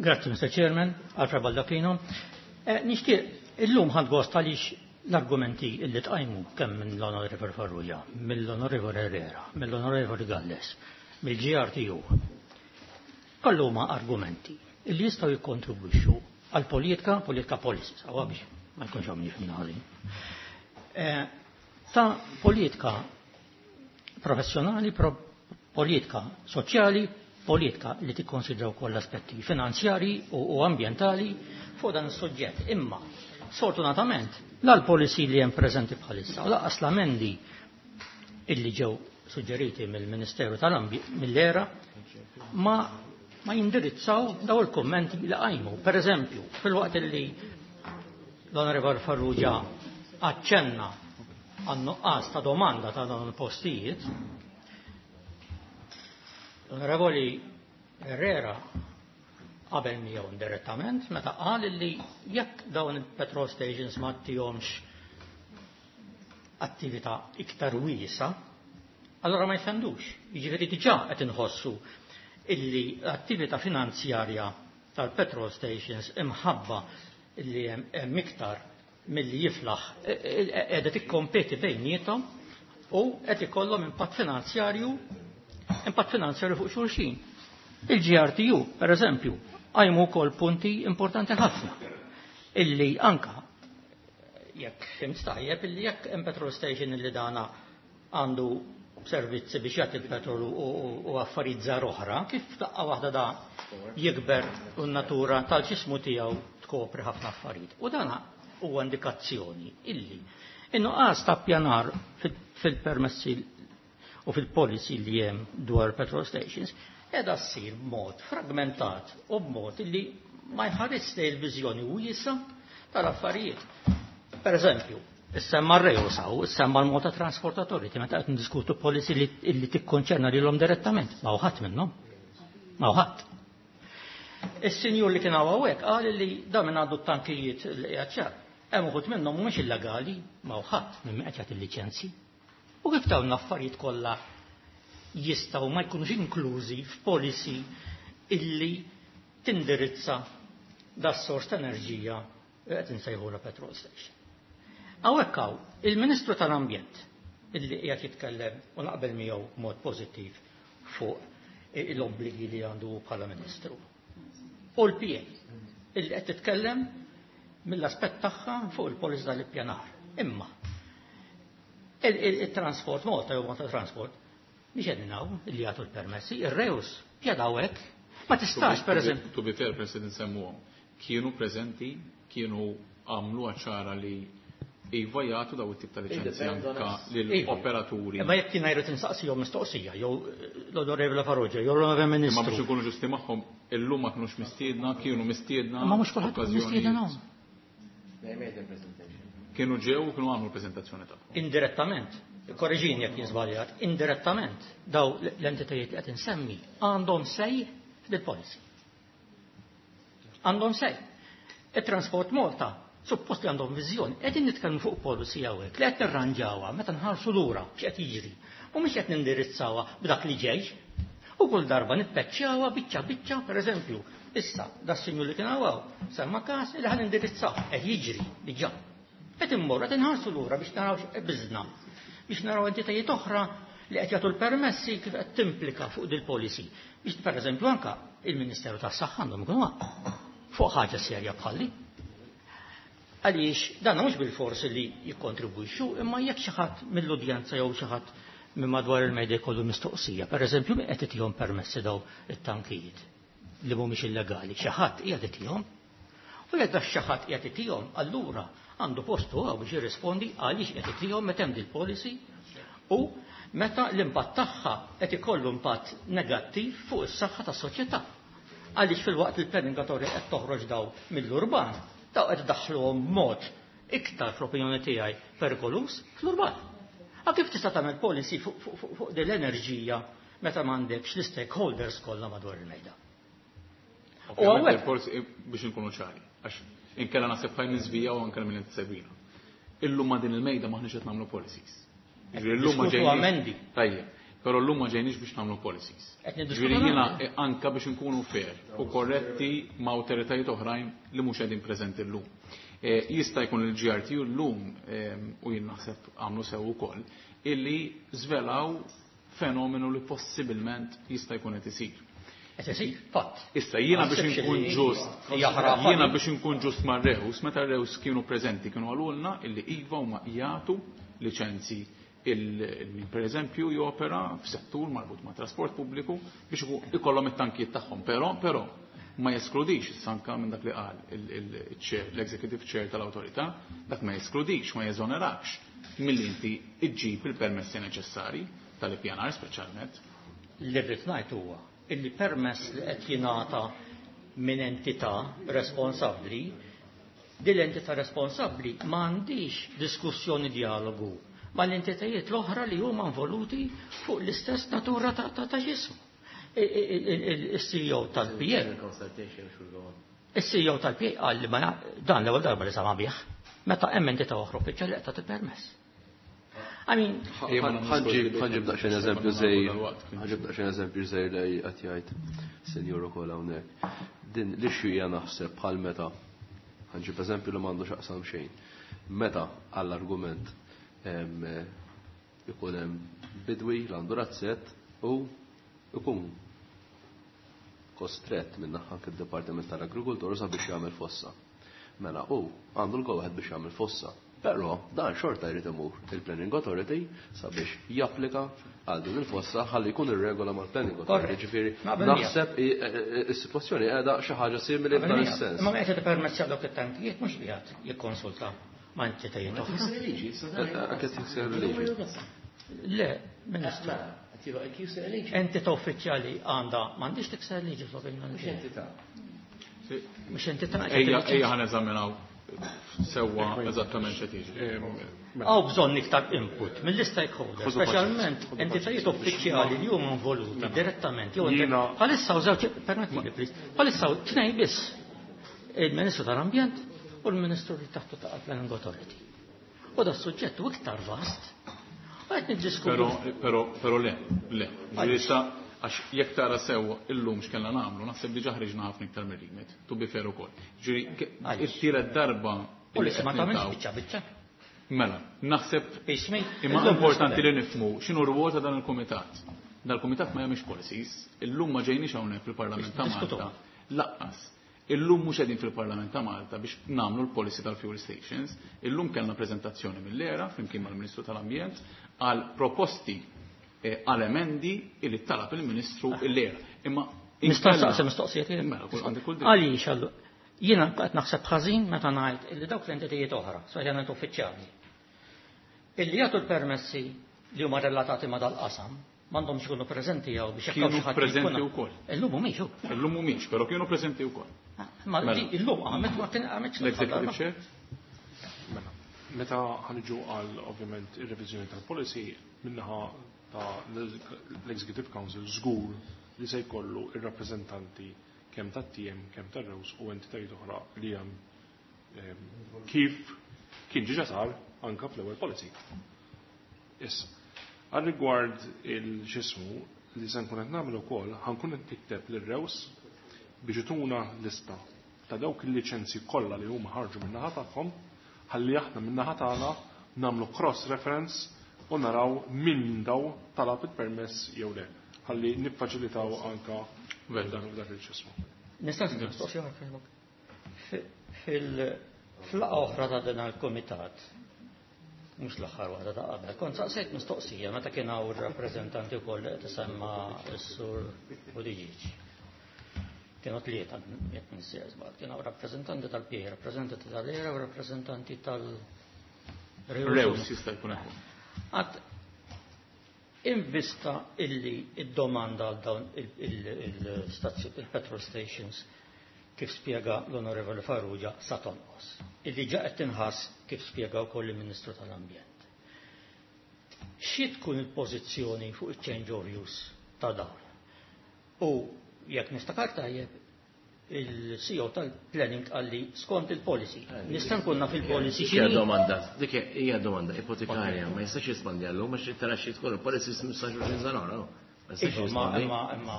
Grazie, Mister Chairman, Alfred Baldacchino. Eh, nixtieq illum ħadd gost għaliex l-argumenti illi tqajmu kemm minn l-Onorevoli Farrugia, mill-Onorevoli Herrera, mill-Onorevoli Galles, mill-G R T U, kollu huma argumenti illi jistgħu jikkontribwixxu għal politika, politika policies, għawa biex ma jkunx hawn jifhimna ħażin. Eh, ta' politika professjonali, pro politika soċjali, politika li tikkonsidra wkoll l-aspetti finanzjari u, u ambjentali fuq dan is-suġġett. Imma sfortunatament l-policy li hemm preżenti bħalissa u lanqas l-amendi illi ġew suġġeriti mill-Ministeru tal-Ambjent mill-ERA ma, ma jindirizzaw daw il-kummenti li qajmu. Per eżempju, fil-waqt li l-Onorevol Farrugia aċċenna għan-nuqqas ta' domanda ta' dawn il-postijiet, l-Onorevoli Herrera qabel miegħu indirettament meta qal li jekk dawn il-petrol stations ma ttihomx attività iktar wiesa, allora ma jfendux. Jiġifieri diġà qed inħossu illi l-attività finanzjarja tal-petrol stations imħabba illi hemm iktar milli jiflaħ qiegħda tikkompeti bejniethom u qed ikollhom impatt finanzjarju impatt finanzjarju fuq xulxin. Il-G R T U, per eżempju, qajmu wkoll punti importanti ħafna illi anka jekk fimt tajjeb illi jekk hemm petrol station illi dana għandu servizzi biex jagħti l-petrol u, u, u affarijiet żgħar oħra, kif daqqa waħda da jikber u n-natura tal-ġismu tiegħu tkopri ħafna affarijiet. U dana huwa indikazzjoni illi in-nuqqas ta' ppjanar fil-permessi u fil-policy li hemm dwar petrol stations qiegħda ssir b'mod fragmentat u b'mod illi ma jħares lejn il-viżjoni wiesa tal-affarijiet. Per eżempju, issemma r-Reus hawn, issemma l-Malta Transport Authority, meta qed ndiskutu policy li, li tikkonċerna lilhom direttament, ma hu ħadd minnhom. Ma hu ħadd. Is-sinjur li kien hawn hawnhekk qal li da minn għandu t-tankijiet li qiegħed ċar. Hemm uħud minnhom mhumiex illegali, ma hu ħadd minn qed jagħti l-liċenzji. U kif dawn l-affarijiet kollha jistgħu ma jkunux inklużi f'policy illi tindirizza das-sors ta' enerġija li qed insejħulha petrol station. Hawnhekk hawn il-Ministru tal-Ambjent illi qiegħed jitkellem u naqbel miegħu b'mod pożittiv fuq l-obbligi li għandu bħala Ministru. U l-P A illi qed titkellem mill-aspett tagħha fuq il-policy tal-ippjanar. Imma il-Transport Malta jew Malta Transport mhix qegħdin hawn illi jagħtu l-permessi, ir-Reus qiegħed hawnhekk. Ma tistax, per eżempju. To be fair, President, semmuhom. Kienu preżenti, kienu għamlu ċara li iva jagħtu daw it-tip ta' liċenzji anka lill-operaturi. Imma jekk kien jrid insaqsihom mistoqsija, jew l-Onorevole Farrugia, jew l-Onorevole Ministru. Imma biex ikunu ġusti magħhom, illum ma kinux mistiedna, kienu mistiedna. Imma mhux kulħadd okkażjonijiet. mistiedna hawn. They made the presentation. Kienu ġew u kienu għamlu l-preżentazzjoni tagħhom. Indirettament, Korreġini jekk jien żbaljat, indirettament daw l-entitajiet li qed insemmi għandhom say fil-policy. Għandhom say. Il-Transport Malta suppost li għandhom viżjoni, qegħdin nitkellmu fuq policy hawnhekk li qed nirranġawha meta nħarsu lura x'qed jiġri u mhux qed nindirizzawha b'dak li ġej. U kull darba nippeċċjawha biċċa biċċa, pereżempju, issa da sinjur li kien hawn semma każ li ħan indirizzaw qed jiġri diġà. Qed immorru qed inħarsu lura biex naraw x'qbiżna, biex naraw entitajiet oħra li qed jagħtu l-permessi kif qed timplika fuq dil-policy. Biex pereżempju anka il-Ministeru tas-Saħħa għandhom ikunu fuq ħaġa serja bħalli. Għaliex dan mhux bil-forsi li jikkontribwixxu, imma jekk xi ħadd mill-udjenza jew xi ħadd minn madwar il-medja jkollu mistoqsija, pereżempju min qed itihom permessi daw it-tankijiet li mhumiex illegali, xi ħadd qiegħed itihom. U jekk dak xi ħadd qiegħed itihom, allura għandu postu hawn biex jirrispondi għaliex qed itihom meta hemm dil-policy u meta l-impatt tagħha qed ikollu impatt negattiv fuq is-saħħa tas-soċjetà. Għaliex fil-waqt li l-planning authority qed toħroġ daw mill-urban, daw qed daħluhom mod iktar fl-opinjoni tiegħi perikolus fl-urban. A kif tista' tagħmel policy fuq fu, fu, fuq din l-enerġija meta m'għandekx l-stakeholders kollha madwar il-mejda? U Ovvjament hawnhekk- il-policy biex inkunu ċari, għax inkella naħseb ħaj niżvija u anke minn segwina. Illum ma din il-mejda maħniex qed nagħmlu policies. Ġifieri llum ma Diskutu ġejniex- amendi. Tajjeb, però llum ma ġejniex biex nagħmlu policies. Qed niddiskutu Ġifieri jiena amendi. eh, anka biex inkunu fair u korretti ma' awtoritajiet oħrajn li mhux qegħdin preżenti llum. Eh, Jista' jkun il-G R T U llum eh, u jien naħseb għamlu sew ukoll illi żvelaw fenomenu li possibilment jista' jkun qed isir. Qed isir, fatt. Issa jiena Ma biex naħsibx inkun li ġust, hija ħrafa jiena li- biex inkun ġust ma' Reus, meta Reus kienu preżenti kienu għalulna illi iva huma jagħtu liċenzi il per eżempju jopera f'settur marbut ma' trasport pubbliku biex iku- ikollhom it-tankijiet tagħhom, però però ma jeskludix issa anka minn dak li qal il-chair, l-executive chair tal-awtorità, dak ma jeskludix, ma jeżonerakx milli inti iġġib il-permessi neċessari tal-ippjanar speċjalment. Li rrid ngħid huwa illi permess li qed jingħata minn entità responsabbli, din l-entità responsabbli m'għandix diskussjoni dialogu mal-entitajiet l-oħra li huma involuti fuq l-istess natura ta' ta' ta' ġismu. Il-C E O tal-P A Consultation should go on. Il-C E O tal-P A qal li ma ja- dan l-ewwel darba li sama bih, meta hemm entità oħra uffiċjali qed tagħti permess. I mean, Ħa nġib ħa nġib daqsxejn eżempju żgħir, ħa nġib daqsxejn eżempju żgħir li qed jgħid senjur ukoll hawnhekk. Din l-issue hija naħseb bħal meta ħa nġib eżempju li m'għandu x'aqsam xejn. Meta għall-argument em, ikun hemm bidwi li għandu razzett u ikun kostrett minn naħa fid-Dipartiment tal-Agrikultura sabiex jagħmel fossa. Mela u għandu l-go biex jagħmel fossa. Però dan xorta jrid imur il-Planning Authority sabiex japplika għal din il-fossa ħalli jkun ir-regola mal-Planning Authority. Korrett. Ġifieri Naqbel miegħek. naħseb i- i- is-sitwazzjoni qiegħda xi ħaġa simili f'dan is-sens. Imma qed permessi għal dawk it-tankijiet mhux qiegħed jikkonsulta ma' entitajiet oħra. Qed jikser il-liġi. Le, Ministru. Entità uffiċjali għandha m'għandix tikser liġi fl-opinjoni tiegħi. Mhux entità. Ejja, ejja ħa neżaminaw sewwa eżattament x'qed jiġri. Hawn bżonn iktar input mill-stakeholders, Ħudu speċjalment paċenzja, entitajiet uffiċjali li huma involuti direttament. Jew Jiena- bħalissa hawn żewġ, permettili please, bħalissa hawn tnejn biss. Il-Ministru tal-Ambjent u l-Ministru li taħtu ta' Planning Authority. U da suġġett u iktar vast. U qed niddiskutu. Però, però, però le, le. Ġifieri issa, għax jekk tara sew illum x'kellna nagħmlu, naħseb diġà ħriġna ħafna iktar mir-remit, to be fair ukoll. Ġifieri ke- Għaliex? it-tielet darba U li illi ma qed tagħmilx niltaqgħu. biċċa biċċa. Mela, naħseb Ismi, imma illum importanti li nifhmu x'inhu r-rwol ta' dan il-kumitat. Dal-kumitat ma jagħmilx policies, illum ma ġejniex hawnhekk fil-Parlament ta' Diskutu. Malta. Lanqas. Illum mhux qegħdin fil-Parlament ta' Malta biex nagħmlu l-policy tal-fuel stations. Illum kellna preżentazzjoni mill-ERA flimkien mal-Ministru tal-Ambjent għal proposti eh, għal emendi illi talab il-Ministru l-ERA. Imma Nista' inkella- nsaqsi mistoqsijiet tiegħi? Mela, kull għandi kull dritt. Għaliex allu jiena qed naħseb ħażin meta ngħid illi dawk l-entitajiet oħra, speċjalment uffiċjali, illi jagħtu l-permessi li huma relatati ma' dal-qasam, m'għandhomx ikunu preżenti jew biex jekk hawn Kienu xi ħadd preżenti jkun- wkoll. Illum mhumiex hu. Illum mhumiex, però kienu preżenti wkoll. Ma Mela. di illum għamet ma kien għamet L-Executive Chair? Meta ħa niġu għal ovvjament ir-reviżjoni tal-policy min-naħa ta' l-Executive Council żgur li se jkollu ir-rappreżentanti kemm tat-T M, kemm tar-REWS u entitajiet oħra li hemm, kif kien ġiġa sar anka fl-ewwel policy. Issa, għal rigward il-xismu li se nkun qed nagħmel ukoll, ħa nkun qed nikteb lir-REWS biex ituna lista ta' dawk il-liċenzji kollha li huma ħarġu min-naħa tagħhom, ħalli aħna min-naħa tagħna nagħmlu cross reference u naraw min daw talab il-permess jew le. Ħalli niffaċilitaw anka dan dak il-ċismu. Nista' mistoqsija oħra? Fil-laqgħa oħra ta' dan il-komitat, mhux l-aħħar waħda, ta' qabel, kont saqsejt mistoqsija meta kien hawn ir-rappreżentanti wkoll li qed isemma s-Sur Buttigieg. Kienu tlieta, jekk m'iniex żball, kienu rappreżentanti tal-P A, rappreżentanti tal-ERA u rappreżentanti tal- REWS jista' jkun hekk. Għad invista illi id-domanda għal dawn il-petrol stations, kif spiega l-Onorevoli Farrugia, sa tonqos. Illi ġa qed tinħass, kif spiega wkoll il-Ministru tal-Ambjent. Xi tkun il-pożizzjoni fuq il-change of use ta' dawn? U jekk niftakar tajjeb, il-C E O tal-planning qalli skont il-policy. Nista' nkun naf il-policy Dik hija x'inhi? Domanda, dik hija domanda ipotekarja, ma jistax jispondi għallum, għax tara xi tkun il-policy ħmistax sena oħra. Ma jistax Imma jispondi. Imma imma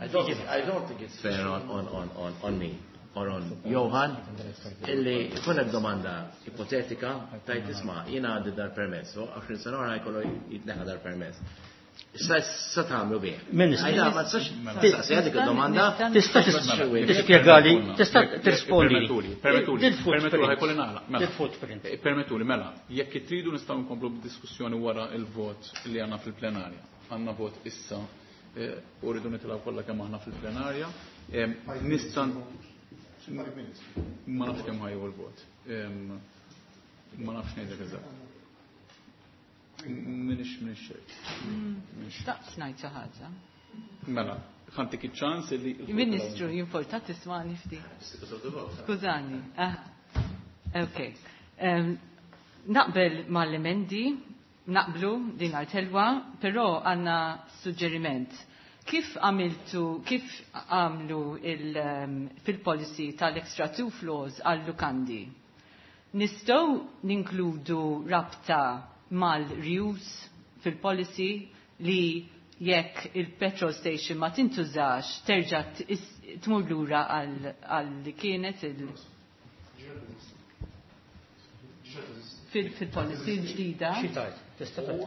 I don't, I don't think it's fair on, on, on, on, on me or on Johan illi jkun hemm domanda ipotetika tajt isma' jiena għandi dar permess, u għoxrin sena oħra jkollu jitneħħa dar permess. Sa sa tagħmlu bih? Ministru. Għajda, ma tistax tistaqsi dik id-domanda. Tista' tispjegali, tista' tirrispondi. Permettuli, permettuli, permettuli, ħa jkolli nagħlaq. Mela. Dil-footprint. Eh, Permettuli, mela, jekk tridu nistgħu nkomplu b'diskussjoni wara il-vot li għandna fil-plenarja. Għandna vot issa eh, u rridu nitilgħu kollha kemm aħna fil-plenarja. Em, Nista' ma nafx kemm ħa jieħu l-vot. Em, Ma nafx ngħidlek eżatt. M'iniex m'iniex ċert. Xtaqt ngħid xi ħaġa. Mela, ħa ntik iċ-ċans li. Ministru, jimporta tismani ftit? Skużani. Ah, ok. Em, Naqbel mal-emendi, naqblu din għal-telwa, però għandna suġġeriment. Kif għamiltu, kif għamlu il, em, fil-policy tal-extra two floors għal-lukandi? Nistgħu ninkludu rabta mal-reuse fil-policy li jekk il-petrol station ma tintużax terġa' t- is- tmur lura għal għal li kienet il- fil- fil-policy ġdida. Xi tajt? Tista' tajt.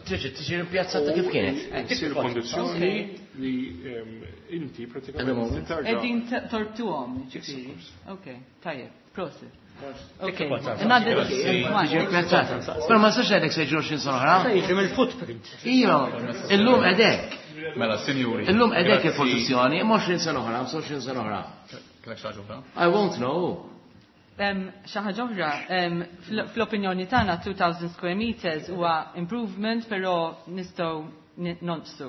Tiġi tiġi rimpiazzata kif kienet. Issir kondizzjoni li em, inti pratikament terġa' Qegħdin torbtuhom, ġifieri. Ok, tajjeb, prosit. Ok, Tiġi rimpiazzata. Però ma nistax ngħidlek se jiġri għoxrin sena oħra. Se jiġri mill-footprint. Iva, illum edek. Mela, sinjuri. Illum edek Grazzi. il-pożizzjoni, imma għoxrin sena oħra, għoxrin sena oħra. Kellek xi ħaġa oħra? I won't know. Em, Xi ħaġa oħra, em, fl- fl-opinjoni tagħna two thousand square meters huwa improvement, però nistgħu ni- nonqsu.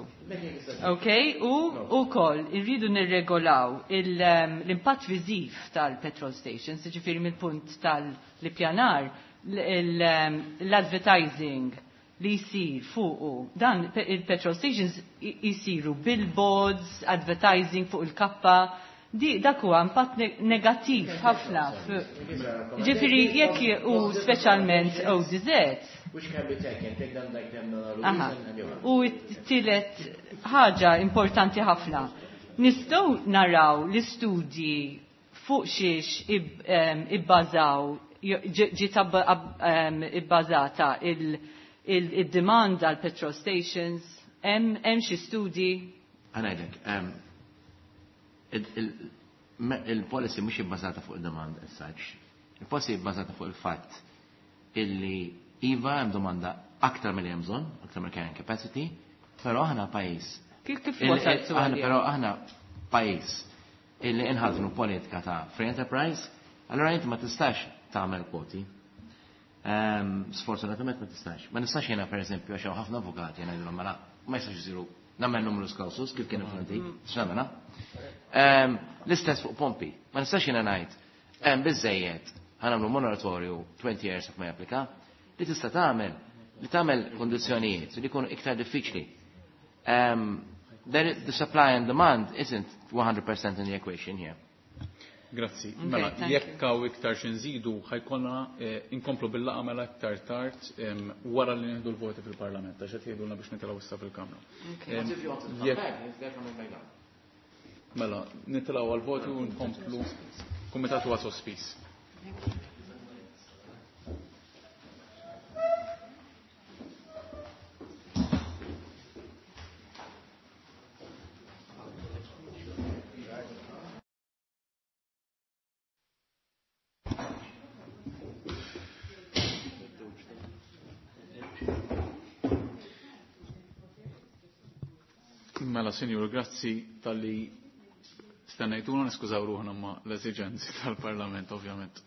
Ok, u ukoll irridu nirregolaw il- em, l-impatt viżiv tal-petrol stations, ġifieri mill-punt tal-ippjanar, l-advertising li jisir fuqu. Dan pe- il-petrol stations i- jisiru billboards, advertising fuq il-kappa, di dak huwa impatt ne- negattiv ħafna. Ġifieri jekk u speċjalment O D Z. Which can be taken, take them like them. Aha. U t-tielet ħaġa importanti ħafna. Nistgħu naraw l-istudji fuq xiex ib- em, ibbażaw, ġiet ab- ab- em, ibbażata il-demand għal petrol stations, hemm hemm xi studji? Ħa ngħidlek, em, il- il- me- il-policy mhux ibbażata fuq il-demand as such. Il-policy ibbażata fuq il-fatt illi iva hemm domanda aktar mill hemm bżonn, aktar mill carrying capacity, però aħna pajjiż. Kif kif il- wasaltu il- Aħna għaliha? però aħna pajjiż illi inħadnu politika ta' free enterprise, allora inti ma tistax tagħmel kwoti. Ehm, Sfortunatament ma tistax. Ma nistax jiena, per eżempju, għax hawn ħafna avukati ngħidulhom mela ma jistax isiru nagħmel numerus clausus kif kien fl-antik, x'nagħmel? Ehm, L-istess fuq pompi. Ma nistax jiena ngħid hemm biżejjed Ħa nagħmlu moratorju twenty years ma japplika, li tista' tagħmel li tagħmel kondizzjonijiet li jkunu iktar diffiċli. Um, there, the supply and demand isn't one hundred percent in the equation here. Grazzi. Okay, Mela, thank jekk hawn iktar xi nżidu ħa jkollna eh, inkomplu bil-laqgħa mela iktar tard em, wara li nieħdu l-voti fil-Parlament għax qed jgħidulna biex nitilgħu issa fil-Kamra. Okay. Em, jekk- Mela, nitilgħu għal-voti u nkomplu, kumitat huwa sospiż. Thank you. Mela, sinjur, grazzi talli stennejtuna, niskużaw ruħna ma l-esiġenzi tal-Parlament, ovvjament,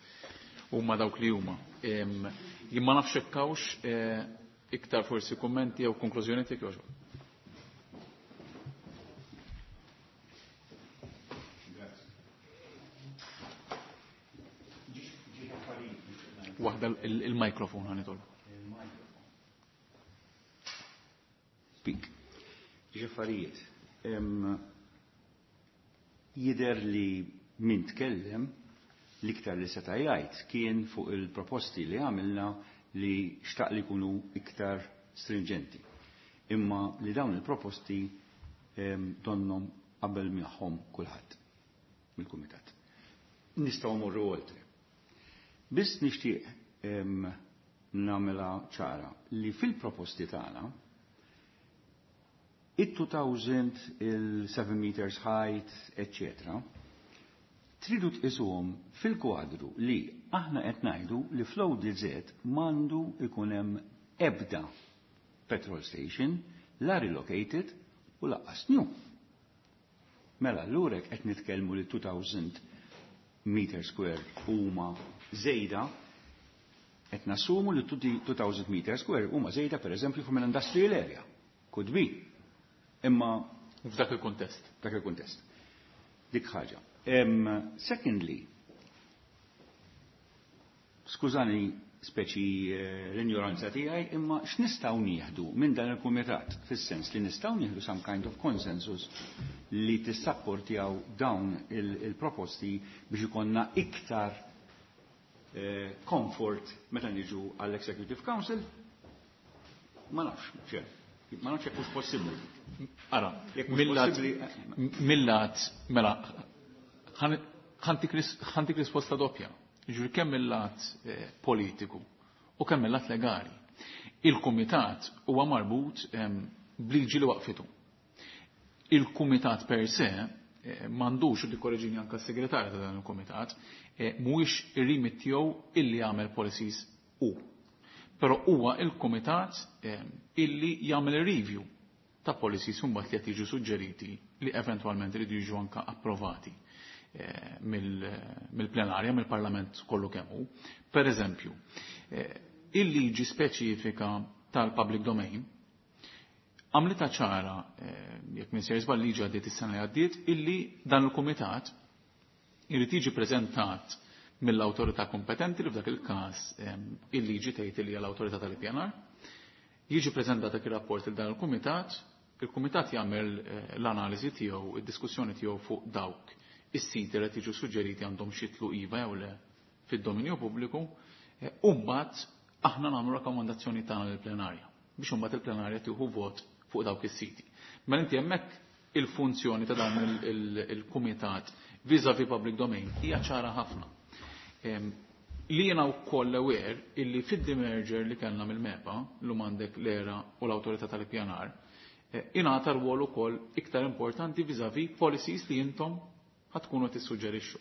huma dawk li huma. Em, Jien ma nafx hekk hawnx eh, iktar forsi kummenti jew konklużjoni tiegħek jogħġbok. Waħda il- il-mikrofon ħa nitolbu. Speak. Ġi affarijiet. Em, Jider li min tkellem l-iktar li seta' jgħid kien fuq il-proposti li għamilna li xtaq li jkunu iktar stringenti. Imma li dawn il-proposti em, donnom qabel magħhom kulħadd mill-kumitat. Nistgħu morru oltre. Biss nixtieq em, nagħmilha ċara li fil-proposti tagħna it-two thousand, il-seven meters height, et cetera tridu tqisuhom fil-kwadru li aħna qed ngħidu li fl-O D Z m'għandu ikun hemm ebda petrol station, la relocated u lanqas new. Mela allura qed nitkellmu li two thousand meter square huma żejda, qed nassumu li two thousand meter square huma żejda, pereżempju, from an industrial area. Could be. Imma f'dak il-kuntest. Dak il-kuntest. Dik ħaġa. Um, secondly, skużani speċi eh, l-ignoranza tiegħi, imma x'nistgħu nieħdu minn dan il-kumitat fis-sens li nistgħu nieħdu some kind of consensus li tissapportjaw dawn il-proposti biex ikonna iktar eh, comfort meta niġu għall-Executive Council? Ma nafx, ċe, ma nafx jekk hux possibbli. Ara, Jekk mhux millat, possibbli- millat, mela, ħa ntik risposta doppja. Ġuri kemm mill-lat eh, politiku u kemm mill-lat legali. Il-kumitat huwa marbut em, bliġi li waqfitu. Il-kumitat per se eh, m'għandux, u tikkoreġini anka s-segretarja ta' dan il-kumitat, eh, mhuwiex ir-remit tiegħu illi jagħmel policies u. Però huwa il-kumitat eh, illi jagħmel review ta' policies mbagħad li qed jiġu suġġeriti li eventwalment iridu jiġu anka approvati eh, mill-plenarja, mill-Parlament kollu kemm hu. Per eżempju, eh, il-liġi speċifika tal-public domain għamlita ċara, eh, jekk minn sejjer żball liġi għaddiet is-sena li għaddiet, illi dan il-kumitat irid jiġi preżentat mill-awtorità kompetenti, li f'dak il-każ il-liġi tgħid li hija l-awtorità tal-ippjanar, jiġi preżentat dak ir-rapport il dan il-kumitat, il-kumitat jagħmel eh, l-analiżi tiegħu, id-diskussjoni tiegħu fuq dawk is-siti li tiġu suġġeriti għandhom xitlu iva jew le fid-dominju pubbliku, eh, u mbagħad aħna nagħmlu rakkomandazzjoni tagħna lill-plenarja biex imbagħad il-plenarja tieħu vot fuq dawk is-siti. Mela inti hemmhekk il-funzjoni ta' dan il-kumitat vis-à-vis public domain hija ċara ħafna. Li jiena wkoll aware illi fid-demerger li kellna mill-MEPA, l għandek l-ERA u l-Awtorità tal-Ippjanar, eh, ingħata rwol ukoll iktar importanti vis-à-vis policies li intom ħa tkunu tissuġġerixxu.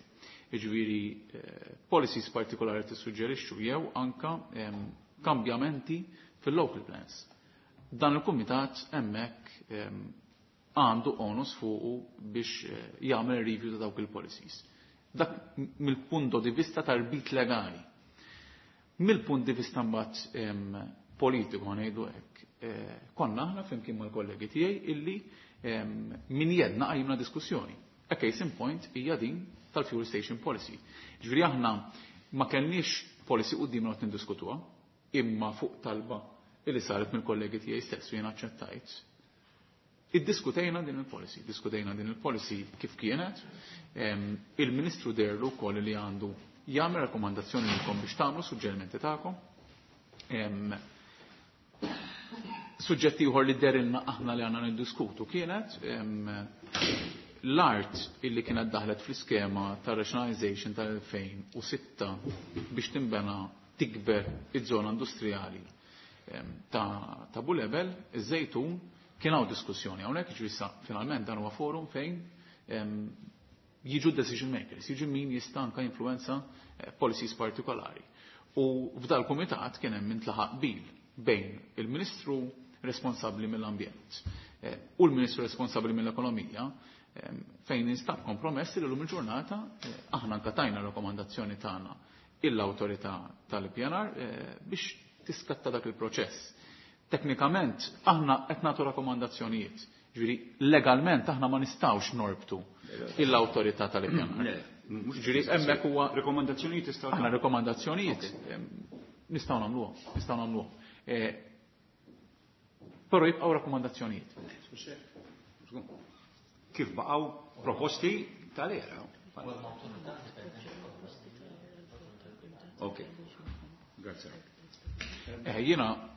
Jiġifieri eh, policies partikolari tissuġġerixxu jew anka kambjamenti fil-local plans. Dan il-kumitat hemmhekk għandu onus fuqu biex eh, jagħmel review ta' dawk il-policies. Dak mill-punto di vista tal-bit legali. Mill-punt di vista mbagħad politiku, ngħidu hekk, eh, konna aħna flimkien mal-kollegi tiegħi illi min jedna qajmna diskussjoni. A case in point hija din tal-fuel station policy. Ġifieri aħna Ma kellniex policy qudiemna qed niddiskutuha, imma fuq talba illi saret mill-kollegi tiegħi stess u jien aċċettajt. Iddiskutejna din il-policy, diskutejna din il-policy kif kienet, il-Ministru derlu wkoll li għandu jagħmel rakkomandazzjoni lilkom biex tagħmlu suġġerimenti tagħkom. Suġġetti ieħor li derilna aħna li għandna niddiskutu kienet l-art illi kienet daħlet fl-iskema ta' rationalization tal-elfejn u sitta biex tinbena tikber iż-żona industrijali ta', ta Bulebel, iż-Żejtun, kien hawn diskussjoni hawnhekk, jiġifieri issa finalment dan huwa forum fejn jiġu decision makers, jiġu min jista' anke influenza policies partikolari. U f'dal kumitat kien hemm intlaħaq qbil bejn il-Ministru responsabbli mill-ambjent u l-Ministru responsabbli mill-ekonomija fejn instab kompromess li l-lum il-ġurnata aħna anke tajna rakkomandazzjoni tagħna l-awtorità tal-P N R biex tiskatta dak il-proċess. Teknikament aħna qed nagħtu rakkomandazzjonijiet. Ġifieri legalment aħna ma nistgħux norbtu l-awtorità tal-P N R. Ġifieri hemmhekk huwa Rekomandazzjonijiet tistgħu Aħna rekomandazzjonijiet nistgħu nagħmluhom, nistgħu nagħmluhom. Però jibqgħu rakkomandazzjonijiet. Kif baqgħu proposti tal-ERA. Ok. Grazie. Eh, jiena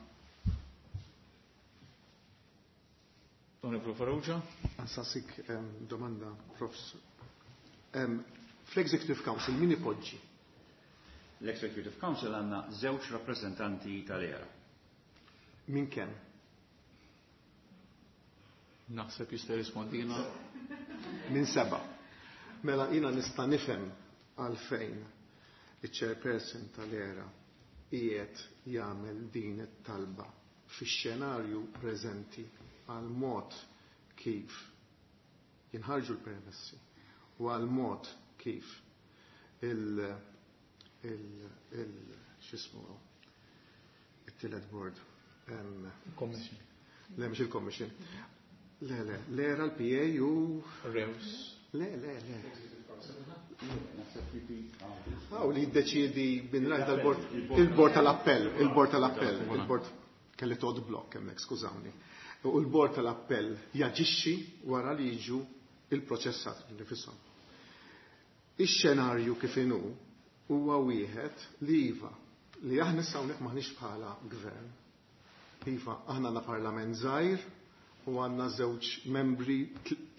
Onorevole Farrugia. Nsaqsik domanda, Profs. Fl-Executive Council min ipoġġi? L-Executive Council għandna żewġ rappresentanti tal-ERA. Min kemm? Naħseb jista' jirrispondina. Min seba'. Mela jiena nista' nifhem għalfejn iċ-chairperson tal-ERA qiegħed jagħmel din it-talba fix-xenarju preżenti għal mod kif jinħarġu l-permessi u għal mod kif il il il x'ismu it-tielet board. Commission. Le, mhux il-commission. Le, le, l-ERA, l-P A u Rews. Le, le, le. Aw li jiddeċiedi bin rajt tal-bord, il-bord tal-appell, il-bord tal-appell, il-bord kelli tod blok hemmhekk, skużawni. U l-bord tal-appell jaġixxi wara li jiġu il-proċessat nifisom. Ix-xenarju kif inhu huwa wieħed li iva li aħna issa hawnhekk maħniex bħala gvern. Iva, aħna għandna parlament żgħir u għandna żewġ membri,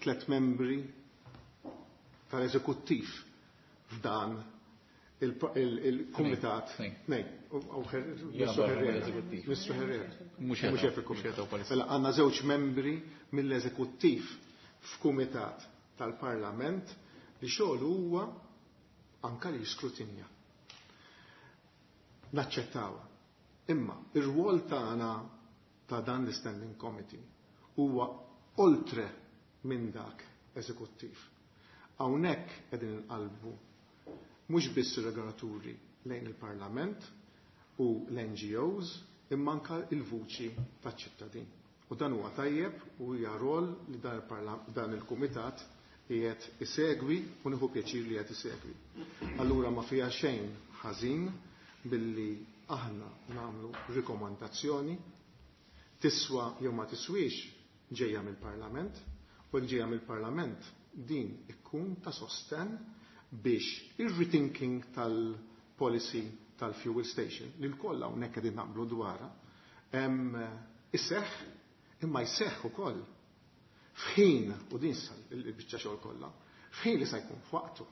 tliet membri tal-eżekuttiv f'dan il-kumitat. Nej, Mister Herrera. Mister Herrera. Mhux qed Mela għandna żewġ membri mill-eżekuttiv f'kumitat tal-Parlament li xogħol huwa anka li jiskrutinja. Naċċettawha. Imma ir-rwol tagħna ta' dan l-Standing Committee huwa oltre minn dak eżekuttiv. Hawnhekk qegħdin inqalbu mhux biss ir-regolaturi lejn il-Parlament u l-N G Os imma anka il-vuċi taċ-ċittadin. U dan huwa tajjeb u hija rol li dan il-, il-kumitat qiegħed isegwi u nieħu pjaċir li qiegħed isegwi. Allura ma fiha xejn ħażin billi aħna nagħmlu rikomandazzjoni tiswa jew ma tiswix ġejja mill-Parlament u jekk ġejja mill-Parlament din ikkun ta' sosten biex ir-rethinking tal-policy tal-fuel station li l-koll hawnhekk qegħdin naqblu dwarha iseħħ imma jseħħ ukoll f'ħin u din sa l-biċċa xogħol kollha, f'ħin li se jkun f'waqtu.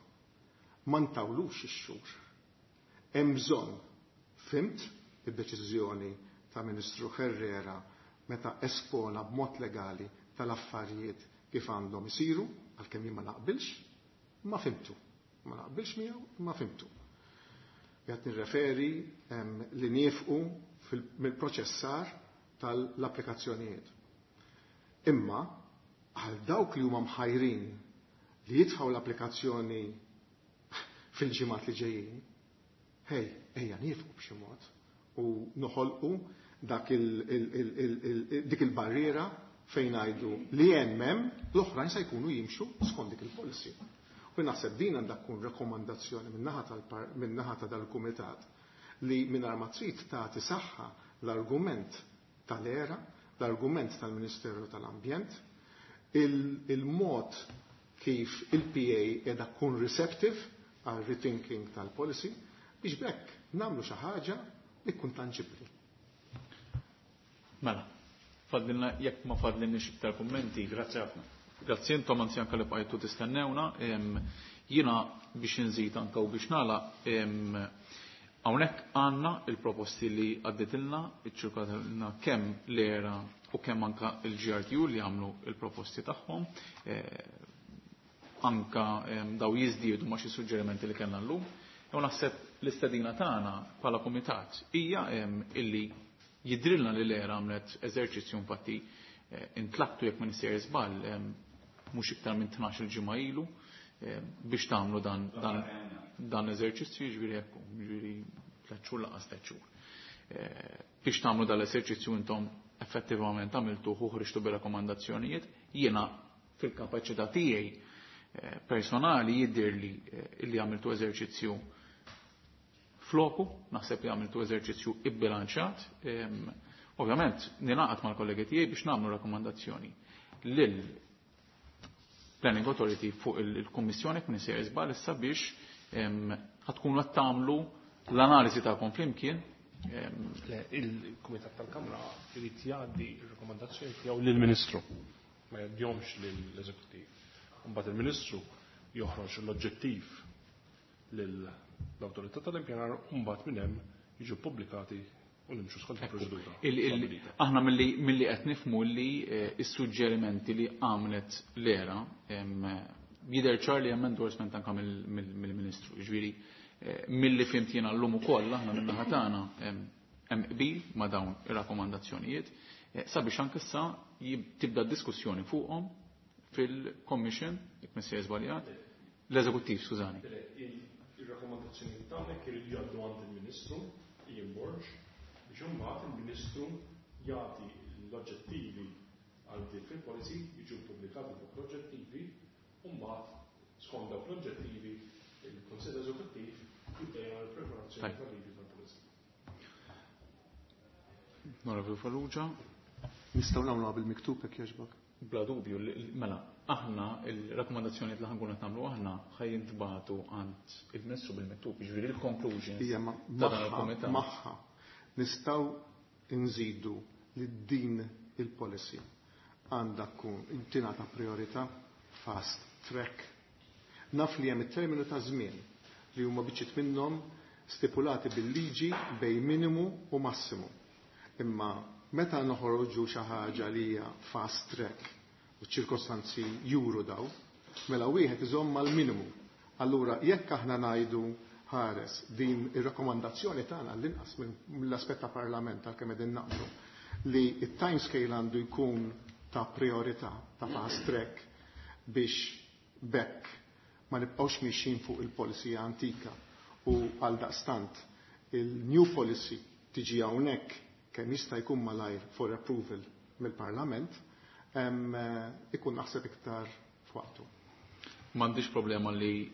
Ma ntawlux ix-xhur. Hemm bżonn, fimt id-deċiżjoni ta' Ministru Herrera meta espona b'mod legali tal-affarijiet kif għandhom isiru, għalkemm jien ma naqbilx, ma fimtu. Ma naqbilx miegħu, ma fimtu. Qed nirreferi li niefqu mill-proċessar tal-applikazzjonijiet. Imma għal dawk li huma mħajrin li jitfgħu l-applikazzjoni fil-ġimgħat li ġejjin, hej, ejja niefqu b'xi mod u noħolqu dak il, il, il, il, il, dik il-barriera fejn ngħidu li hemm hemm l-oħrajn se jkunu jimxu skont dik il-policy. U naħseb din għandha tkun rekomandazzjoni min-naħa ta' dal-kumitat li mingħajr ma trid tagħti saħħa l-argument tal-era, l-argument tal-Ministeru tal-Ambjent, il-mod kif il-P A qiegħda tkun receptive għal rethinking tal-policy biex b'hekk nagħmlu xi ħaġa li tkun tanġibbli. Mela, fadlilna jekk ma fadlilniex iktar kummenti. Grazzi ħafna. Grazzi intom anzi anke li bqajtu tistennewna. Jiena biex inżid anke u biex nagħlaq, hawnhekk għandna il-proposti li għadditilna, iċċirkolatilna kemm l-era u kemm anka il-G R T U li għamlu il-proposti tagħhom. Anka daw jiżdiedu ma' xi suġġerimenti li kellna llum. U naħseb l-istedina tagħna bħala kumitat hija illi jidrilna li l-era għamlet eżerċizzju infatti intlaqtu jekk ma nissejjer żball mhux iktar minn tnax-il ġimgħa ilu biex tagħmlu dan, dan, dan l-eżerċizzju, jiġifieri hekk, jiġifieri tliet xhur laqas tliet xhur. Biex tagħmlu dan l-eżerċizzju intom effettivament għamiltuh u ħriġtu bir-rakkomandazzjonijiet, jiena fil-kapaċità tiegħi personali jidhirli li għamiltu eżerċizzju floku, naħseb li għamiltu eżerċizzju ibbilanċat. Ovvjament, ninaqat mal-kollegi tiegħi biex nagħmlu rakkomandazzjoni lil Planning Authority fuq il-Kummissjoni kien isir żball issa biex ħatkunu qed tagħmlu l-analiżi tagħkom flimkien. Le, il-Kumitat tal-Kamra irid jgħaddi r-rakkomandazzjoni tiegħu lill-Ministru, ma jgħaddihomx lill-Eżekuttiv. Imbagħad il-Ministru joħroġ l-oġġettiv lill-Awtorità tal-Impjanar u mbagħad minn hemm jiġu ppubblikati u nimxu skont il-proċedura. Aħna milli qed nifhmu li s-suġġerimenti li għamlet l-era jidher ċar li hemm endorsement anke mill-Ministru. Jiġifieri milli fhimt jiena llum ukoll aħna min-naħa tagħna hemm qbil ma' dawn ir-rakkomandazzjonijiet sabiex anke issa tibda d-diskussjoni fuqhom fil-Commission, jekk ma sejjer żbaljat, l-Eżekuttiv, skużani. Ir-rakkomandazzjonijiet tagħna jridu jgħaddu għand il-Ministru Ian Borg biex imbagħad il-Ministru jagħti l-oġġettivi għal dik fil-policy jiġu ppubblikati dawk l-oġġettivi u mbagħad skont dawk l-oġġettivi il-Kunsill Eżekuttiv jibda jagħmel preparazzjoni tal-liġi tal-policy. Onorevoli Farrugia. Nistgħu nagħmluha bil-miktub jekk jogħġbok? Bla dubju, mela, aħna il-rakkomandazzjonijiet li ħankun qed nagħmlu aħna ħajjintbagħtu għand il-Ministru bil-miktub, jiġifieri il-conclusions Hija ma- ta' dan il-kumitat. magħha nistgħu nżidu li din il-policy għandha tkun tingħata priorità fast track. Naf li hemm it-terminu ta' żmien li huma biċċiet minnhom stipulati bil-liġi bejn minimu u massimu. Imma meta noħorġu xi ħaġa li hija fast track u ċ-ċirkostanzi juru daw, mela wieħed iżomm mal-minimu. Allura jekk aħna ngħidu ħares din ir-rakkomandazzjoni tagħna l-inqas mill-aspett ta' parlament għalkemm qegħdin naqblu li t-time scale għandu jkun ta' priorità, ta' fast track biex bekk ma nibqgħux mixjin fuq il-policy antika u għal daqstant il-new policy tiġi hawnhekk kemm jista' jkun malajr for approval mill-Parlament, ikun naħseb iktar f'waqtu. M'għandix problema li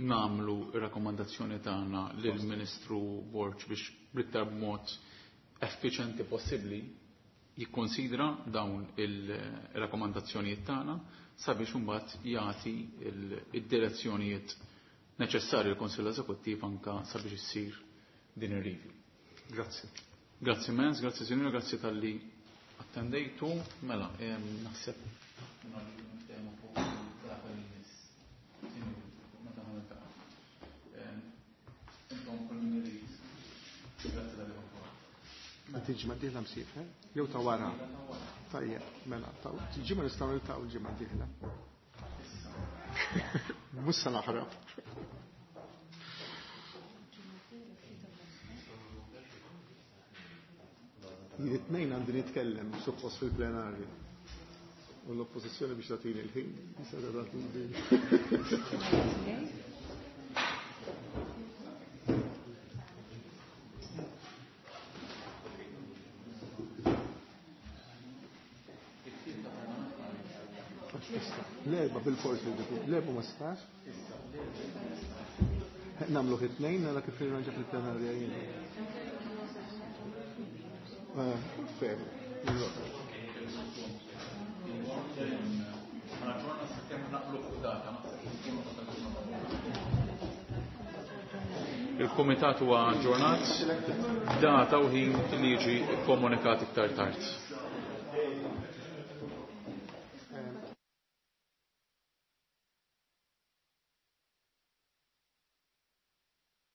nagħmlu r-rakkomandazzjoni tagħna lill-Ministru Borg biex bl-iktar b'mod effiċjenti possibbli jikkonsidra dawn il-rakkomandazzjonijiet tagħna sabiex imbagħad jagħti id-direzzjonijiet neċessarji l-Kunsill Eżekuttiv anke sabiex issir din ir-review. Grazzi. Grazzi immens, grazzi sinjura, grazzi talli attendejtu. Mela, naħseb Ma tiġi ma diħla msiefer? Jew ta' wara? Tajjeb, mela, ta' ġimgħa nistgħu niltaqgħu l-ġimgħa d-dieħla. Mhux se naħrab. Jien it-tnejn għandi nitkellem suppost fil-plenarju. U l-oppożizzjoni biex tagħtini l-ħin, jista' tagħtini bil. L-erba bil-forsi, l-erba ma stax? Nagħmlu it-tnejn nara kif nirranġa fil-plenarja jien. Fair. Il-Kumitat huwa aġġornat, data u ħin li jiġi kkomunikat iktar tard.